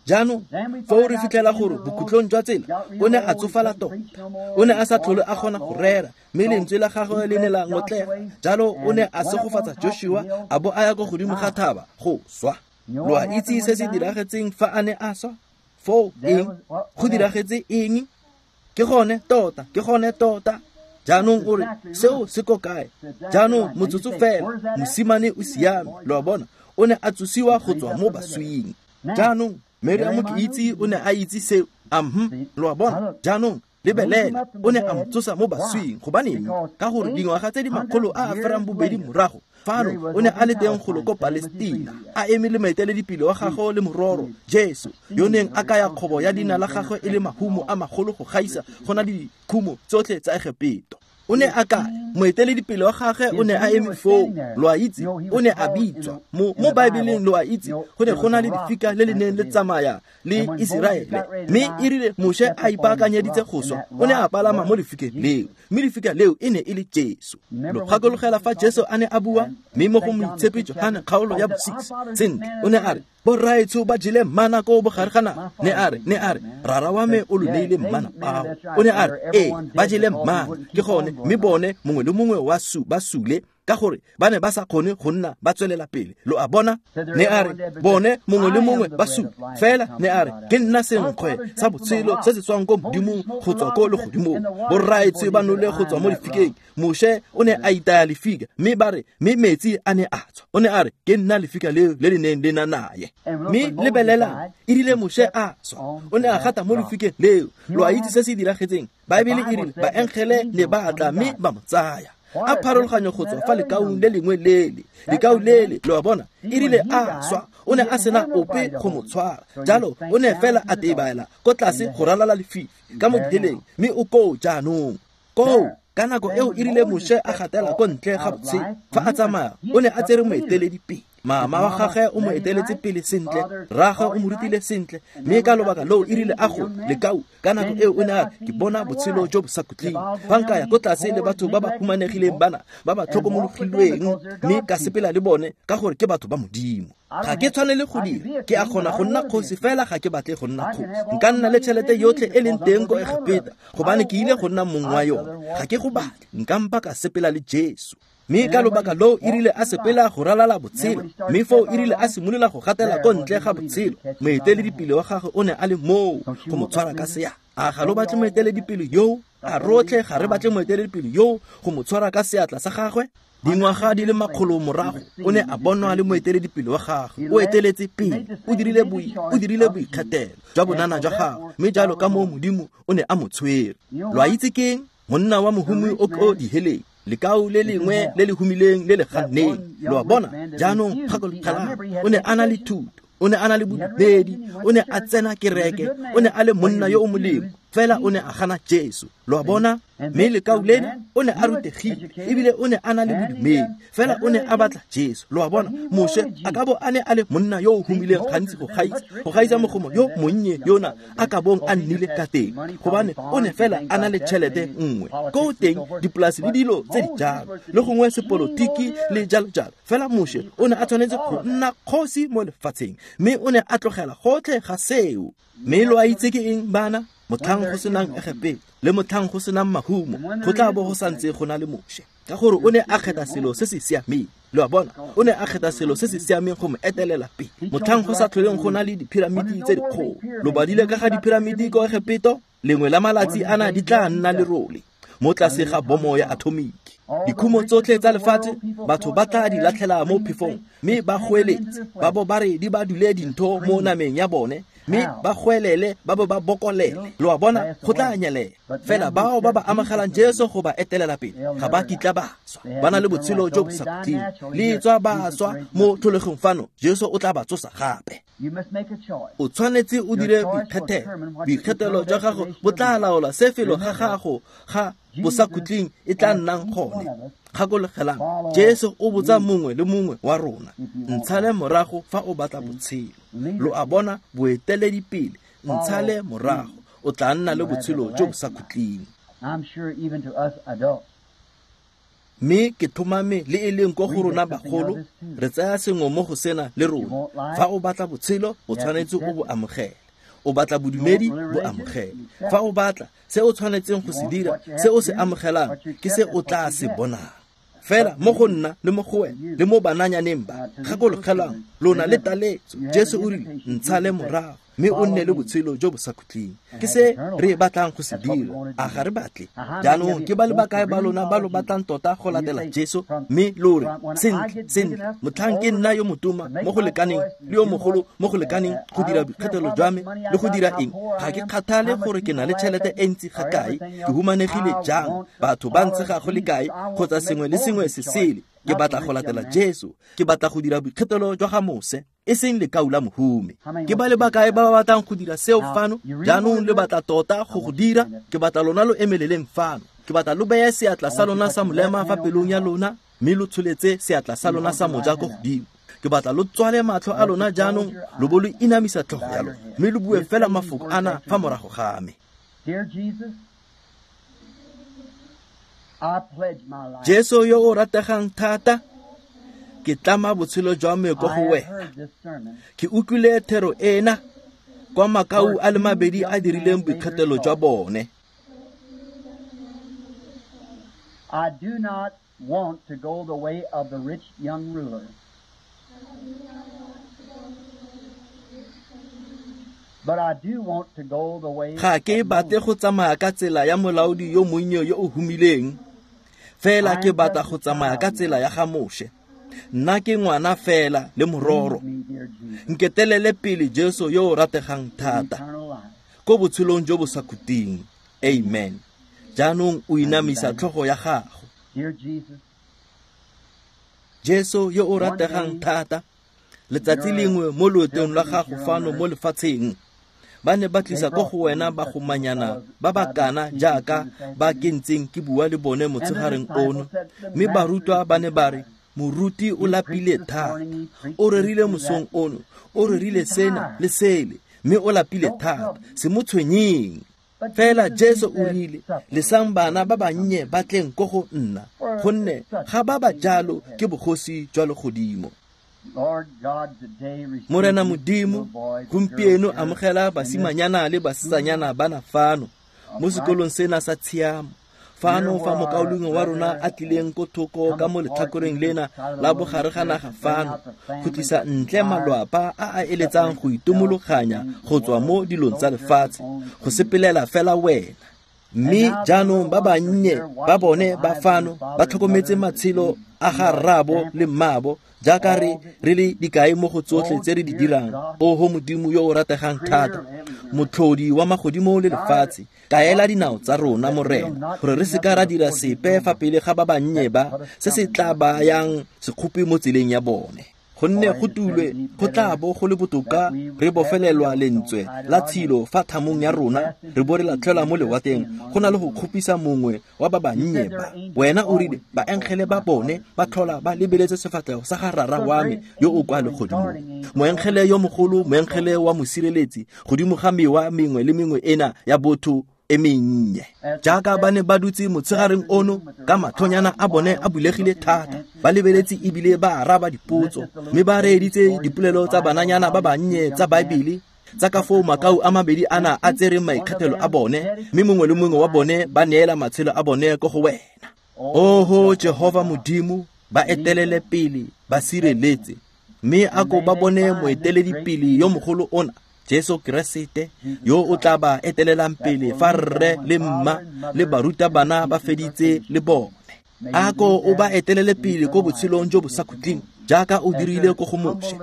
E: Jaanong foo re fitlhela gore bokhutlong jwa tsela o ne a tsofala tota, o ne a sa tlhole a kgona go rera, mme lentswe la gagwe le ne la ngotlega. Jalo o ne a segofatsa Joshua a bo a ya ko godimo ga thaba go swa. Lo a itse se se diragetseng fa a ne a swa? Foo eng? Go diragetse eng? Ke gone tota, ke gone tota. Jaanong o re, seo se ko kae? Jaanong motsotso fela, mosimane o siame. Lo a bona, o ne a tsosiwa go tswa mo baswing. Jaanong Miriam ke itse o ne a itse seo. Lo a bona, jaanong lebelela, o ne a mo tsosa mo baswing. Gobaneng? Ka gore dingwaga tse di 802 morago, fano o ne a le teng golo ko Palestina, a eme le moeteledipele wa gagwe le mororo Jesu, yo neng a kaya kgobo ya leina la gagwe e le mahumo a magolo go gaisa go na le dikhumo tsotlhe tsa Egepeto. O ne a kaya moeteledipele wa gagwe o ne a eme foo, lo a itse, o ne a bitswa mo Baebeleng, lo a itse, go ne go na le lefika le le neng le tsamaya le Iseraele. Mme e rile Moshe a ipaakanyeditse go swa, o ne a palama mo lefikeng leo, mme lefika leo e ne e le Jesu. Lo gakologela fa Jesu a ne a bua, mme mo go Moitshepi Johane kgaolo ya bo-6, sentle, o ne a re, borraetsho ba jele mana ko bogare ga naga. Ne a re, rara wa me o lo neile mana ao. O ne a re, ee, ba jele mana, ke gone, mme bone mongwe le mongwe wa ba sule, ka gore ba ne ba sa kgone go nna ba tswelela pele. Lo a bona? Ne a re, bone mongwe le mongwe ba sule. Fela ne a re, ke nna senkgwe sa botshelo se se tswang ko Modimong go tswa ko legodimong. Borraetsho ba nole go tswa mo lefikeng. Moshe o ne a itaya lefika, mme ba re, mme metsi a ne a tswa. O ne a re, ke nna lefika leo le le neng le na naye. Mme lebelelang, e rile Moshe a swa, o ne a gata mo lefikeng leo. Lo a itse se se diragetseng? Baebele e rile baengele ne ba tla mme ba mo tsaya. A pharologanyo go tswa fa lekaung le lengwe lele, lekau lele, lo a bona, e rile a swa, o ne a sena ope go mo tshwara. Jalo o ne fela a tebaela ko tlase go ralala lefifi ka mo diheleng, mme o koo jaanong. Koo ka nako eo e rile Moshe a gatela ko ntle ga botshelo, fa a tsamaya o ne a tsere moeteledipele. Mama wa gagwe o mo eteletse pele sentle, rraagwe o mo rutile sentle, mme ka lobaka loo e rile a go lekau ka nako eo o ne a re, ke bona botshelo jo bo sa khutleng. Fa nka ya ko tlase le batho ba ba humanegileng bana ba ba tlhokomologilweng, mme ka sepela le bone ka gore ke batho ba Modimo. Ga ke tshwanele go dira, ke a kgona go nna kgosi, fela ga ke batle go nna kgosi. Nka nna le tšhelete yotlhe e leng teng ko Egepeta, gobane ke ile go nna mong wa yone. Ga ke go batle, nka mpa ka sepela le Jesu. Mme ka lobaka loo e rile a sepela go ralala botshelo, mme foo e rile a simolola go gatela ko ntle ga botshelo, moeteledipele wa gagwe o ne a le moo go mo tshwara ka seatla. A ga lo batle moeteledipele yoo? A rotlhe ga re batle moeteledipele yoo go mo tshwara ka seatla sa gagwe? Dingwaga di le makgolo morago o ne a bonwa le moeteledipele wa gagwe. O eteletse pele, o dirile boikgethelo jwa bonana jwa gagwe, mme jalo ka moo Modimo o ne a mo tshwere. Lo a itse keng? Monna wa mohumi o ko diheleng, lekau le lengwe le le humileng le le ganneng. Lo a bona? Jaanong gakologelang, o ne a na le thuto, o ne a na le bodumedi, o ne a tsena kereke, o ne a le monna yo o molemo, fela o ne a gana Jesu. Lo a bona? Mme lekau lena o ne a rutegile, ebile o ne a na le bodumedi, fela o ne a batla Jesu. Lo a bona? Moshe a ka bo a ne a le monna yo o humileng gantsi go gaisa mogomo yo monnye yona a ka bong a nnile ka teng, gobane o ne fela a na le tšhelete nngwe ko teng, dipolasi le dilo tse di jalo, le gongwe sepolotiki le jalo jalo. Fela Moshe o ne a tshwanetse go nna kgosi mo lefatsheng, mme o ne a tlogela gotlhe ga seo. Mme lo a itse ke eng, bana? Motlhang go senang Egepeto le motlhang go senang mahumo, go tla bo go santse go na le Moshe, ka gore o ne a kgetha selo se se siameng. Lo a bona? O ne a kgetha selo se se siameng go mo etelela pele. Motlhang go sa tlholeng go na le diphiramiti tse dikgolo. Lo badile ka ga diphiramiti ko Egepeto? Lengwe la malatsi ana di tla nna lerole mo tlase ga bomo ya atomiki. Dikhumo tsotlhe tsa lefatshe batho ba tla di latlhela mo phefong, mme ba goeletse ba bo ba re di ba dule dintho mo nameng ya bone, Mme ba goelele ba bo ba bokolele. Lo a bona, go tla nyelela. Fela bao ba ba amogelang Jesu go ba etelela pele ga ba kitla ba swa, ba na le botshelo jo bo sa khutleng. Le tswa ba swa mo tlholegong fano, Jesu o tla ba tsosa gape. O tshwanetse o dire boikgethelo. Boikgethelo jwa gago bo tla laola se felo ga gago ga bosakhutleng e tla nnang gone. Gakologelang, Jesu o botsa mongwe le mongwe wa rona, ntshale morago fa o batla botshelo. Lo a bona, boeteledipele, ntshale morago, o tla nna le botshelo jo bo sa khutleng. Mme ke tlhomame le e leng ko go rona bagolo, re tsaya sengwe mo go sena le rona. Fa o batla botshelo, o tshwanetse o bo amogele. O batla bodumedi, bo amogele. Fa o batla se o tshwanetseng go se dira, se o se amogelang ke se o tla se bonang. Fela mo go nna le mo go wena le mo bananyaneng ba, gakologelang, lona le taletso. Jesu o rile, ntshale morago mme o nne le botshelo jo bo sa khutleng. Ke se re batlang go se dira, a ga re batle? Jaanong ke ba le bakae ba lona ba lo batlang tota go latela Jesu, mme lo re, sentle, sentle, motlhang ke nna yo motoma mo go lekaneng le yo mogolo mo go lekaneng go dira boikgethelo jwa me le go dira eng? Ga ke kgathale gore ke na le tšhelete e ntsi ga kae, ke humanegile jang, batho ba ntshega go le kae, kgotsa sengwe le sengwe se sele. Ke batla go latela Jesu. Ke batla go dira boikgethelo jwa ga Mose, e seng lekau la mohumi. Ke ba le bakae ba ba batlang go dira seo fano? Jaanong le batla tota go go dira? Ke batla lona lo emeleleng fano. Ke batla lo beye seatla sa lona sa molema fa pelong ya lona, mme lo tsholetse seatla sa lona sa moja ko godimo. Ke batla lo tswale matlho a lona jaanong, lo bo lo inamisa tlhogo ya lona, mme lo bue fela mafoko ana fa morago ga me. Jesu yo o rategang thata, ke tlama botshelo jwa me ko go wena. Ke utlwile thero ena kwa makau a le mabedi a dirileng boikgethelo jwa bone.
B: I do not want to go the way of the rich young ruler. But I do want to go the way.
E: Ga ke batle go tsamaya ka tsela ya molaodi yo monnye yo o humileng, fela ke batla go tsamaya ka tsela ya ga Moshe. Nna ke ngwana fela le mororo. Nketelele pele Jesu yo o rategang thata ko botshelong jo bo sa khutleng. Amen. Jaanong o inamisa tlhogo ya gago. Jesu yo o rategang thata, letsatsi lengwe mo loetong lwa gago fano mo lefatsheng, ba ne ba tlisa ko go wena bagomanyana ba ba kana jaaka ba ke ntseng ke bua le bone motshegareng ono, mme barutwa ba ne ba re, moruti o lapile thata, o rerile mosong ono, o rerile sena le sele, mme o lapile thata, se mo tshwenyeng. Fela Jesu o rile, lesang bana ba bannye ba tleng ko go nna, gonne ga ba ba jalo ke bogosi jwa legodimo. Morena Modimo, gompieno amogela basimanyana le basetsanyana bana fano mo sekolong sena sa tshiamo. Fano fa mokaulengwe wa rona a tlileng ko thoko ka mo letlhakoreng lena la bogare ga naga fano, go tlisa ntle malwapa a a eletsang go itomologanya go tswa mo dilong tsa lefatshe, go sepelela fela wena. Mme jaanong ba bannye ba bone ba fano ba tlhokometse matshelo a ga rraabo le mmaabo, jaaka re le dikai mo go tsotlhe tse re di dirang. Oho Modimo yo o rategang thata, motlhodi wa magodimo le lefatshe, kaela dinao tsa rona, Morena, gore re seka ra dira sepe fa pele ga ba bannye ba, se se tla bayang sekgopi mo tseleng ya bone. Gonne go tulwe go tla bo go le botoka re bofelelwa lentswe la tshilo fa thamong ya rona, re bo re latlhelwa mo lewatleng, go na le go kgopisa mongwe wa ba bannye ba. Wena o rile baengele ba bone ba tlhola ba lebeletse sefatlhego sa ga Rara wa me yo o kwa legodimong. Moengele yo mogolo, moengele wa mosireletsi, godimo ga mewa mengwe le mengwe ena ya botho e mennye. Jaaka ba ne ba dutse motshegareng ono ka matlhonyana a bone a bulegile thata, ba lebeletse ebile ba araba dipotso, mme ba reeditse dipolelo tsa bananyana ba bannye tsa Baebele, tsa ka foo makau a mabedi ana a tsereng maikgethelo a bone, mme mongwe le mongwe wa bone ba neela matshelo a bone ko go wena. Oho Jehova Modimo, ba etelele pele, ba sireletse, mme a ko ba bone moeteledipele yo mogolo ona, Jesu Keresete, yo o tla ba etelelang pele fa rre le mma le barutabana ba feditse le bone. A ko o ba etelele pele ko botshelong jo bo sa khutleng, jaaka o dirile ko go Moshe,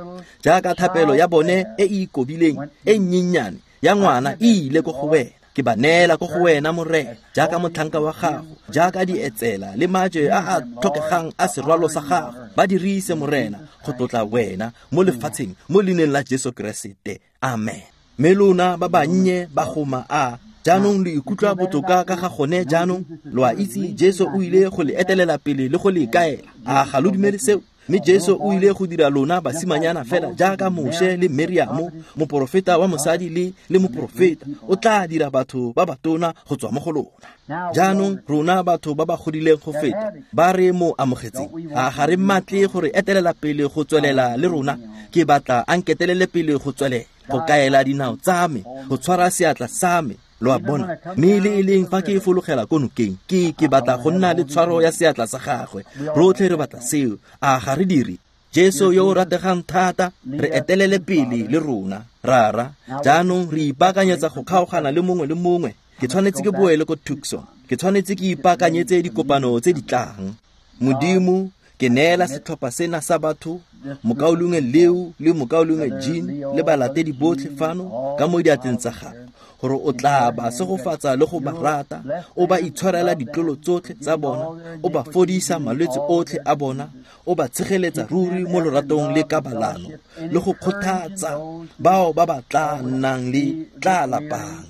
E: jaaka thapelo ya bone e e ikobileng e nnyennyane ya ngwana e ile ko go wena. Ke ba neela ko go wena, Morena, jaaka motlhanka wa gago, jaaka dietsela le maje a a tlhokegang a serwalo sa gago. Ba dirise, Morena, go tlotla wena mo lefatsheng, mo leineng la Jesu Keresete. Amen. Mme lona ba bannye ba goma a jaanong lo ikutlwa botoka ka ga gone jaanong? Lo a itse Jesu o ile go le etelela pele le go le kaela. A ga lo dumele seo? Mme Jesu o ile go dira lona basimanyana fela jaaka Moshe le Meriamo, moporofeta wa mosadi le moporofeta. O tla dira batho ba batona go tswa mo go lona. Jaanong rona batho ba ba godileng go feta ba re mo amogetseng, a ga re mmatle gore etelela pele go tswelela le rona? Ke batla a nketelele pele go tswelela, go kaela dinao tsa me, go tshwara seatla sa me. Lo a bona? Mme le e leng fa ke fologela ko nokeng, ke batla go nna le tshwaro ya seatla sa gagwe. Rotlhe re batla seo, a ga re dire? Jesu yo o rategang thata, re etelele pele le rona, Rara. Jaanong re ipaakanyetsa go kgaogana le mongwe le mongwe. Ke tshwanetse ke boele ko Tucson. Ke tshwanetse ke ipaakanyetse dikopano tse di tlang. Modimo, ke neela setlhopha sena sa batho, mokaulengwe Leo le mokaulengwe Jean le balatedi botlhe fano ka mo diatleng tsa gago, gore o tla ba segofatsa le go ba rata, o ba itshwarela ditlolo tsotlhe tsa bona, o ba fodisa malwetse otlhe a bona, o ba tshegeletsa ruri mo loratong le kabalano, le go kgothatsa bao ba ba tla nnang le tla lapang.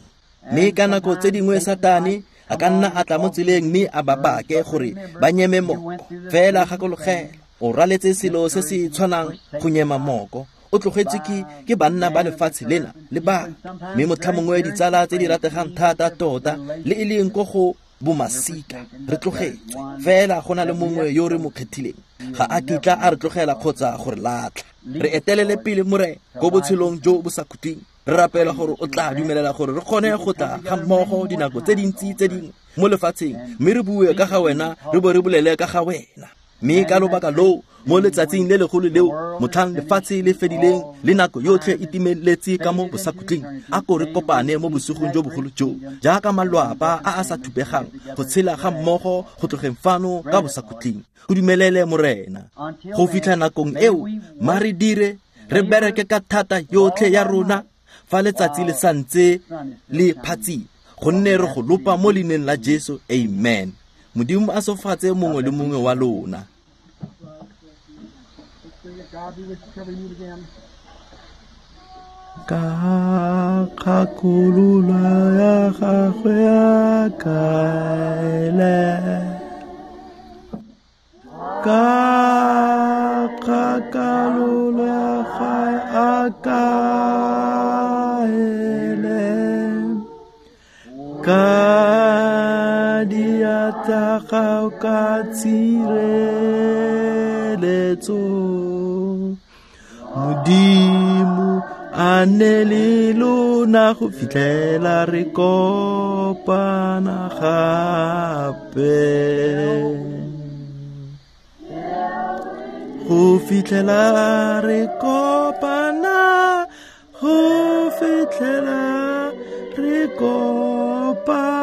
E: Mme ka nako tse dingwe Satane a ka nna a tla mo tseleng mme a ba bake gore ba nyeme moko. Fela gakologela, o raletse selo se se tshwanang go nyema moko. O tlogetse ke banna ba lefatshe lena le batho, mme motlhamongwe ditsala tse di rategang thata tota le e leng ko go bomasika re tlogetswe. Fela go na le mongwe yo re mo kgethileng, ga a kitla a re tlogela kgotsa go re latlha. Re etelele pele, Morena, ko botshelong jo bo sa khutleng. Re rapela gore o tla dumelela gore re kgone go tla ga mmogo dinako tse dintsi tse dingwe mo lefatsheng, mme re bue ka ga wena, re bo re bolele ka ga wena. Mme ka lobaka loo, mo letsatsing le legolo leo, motlhang lefatshe le fedileng le nako yotlhe e timeletse ka mo bosakhutleng, a ko re kopane mo bosigong jo bogolo jo, jaaka malwapa a a sa thubegang, go tshela ga mmogo go tlogeng fano ka bosakhutleng. Go dumelele, Morena. Go fitlha nakong eo, ma re dire, re bereke ka thata yotlhe ya rona fa letsatsi le santse le phatsima, gonne re go lopa mo leineng la Jesu. Amen. Modimo a sofatse mongwe le mongwe wa lona. Ka kgakololo ya gagwe a kaele, ka kgakololo ya gagwe a kaele, ka diatla gago ka tshireletso. Modimo a nne le lona go fitlhela re kopana gape. Go fitlhela re kopana, go fitlhela re kopana,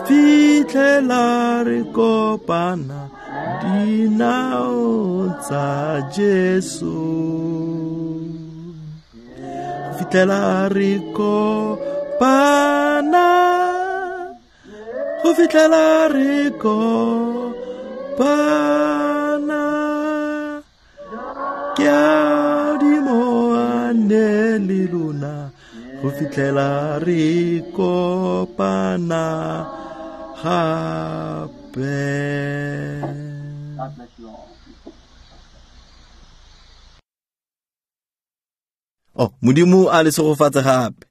E: fitlhela re kopana dinao tsa Jesu. Fitlhela re kopana, go fitlhela re kopana, ke a dimo a nne le lona go fitlhela re kopana gape.
B: God bless you all.
E: Oh, Modimo a le segofatse gape.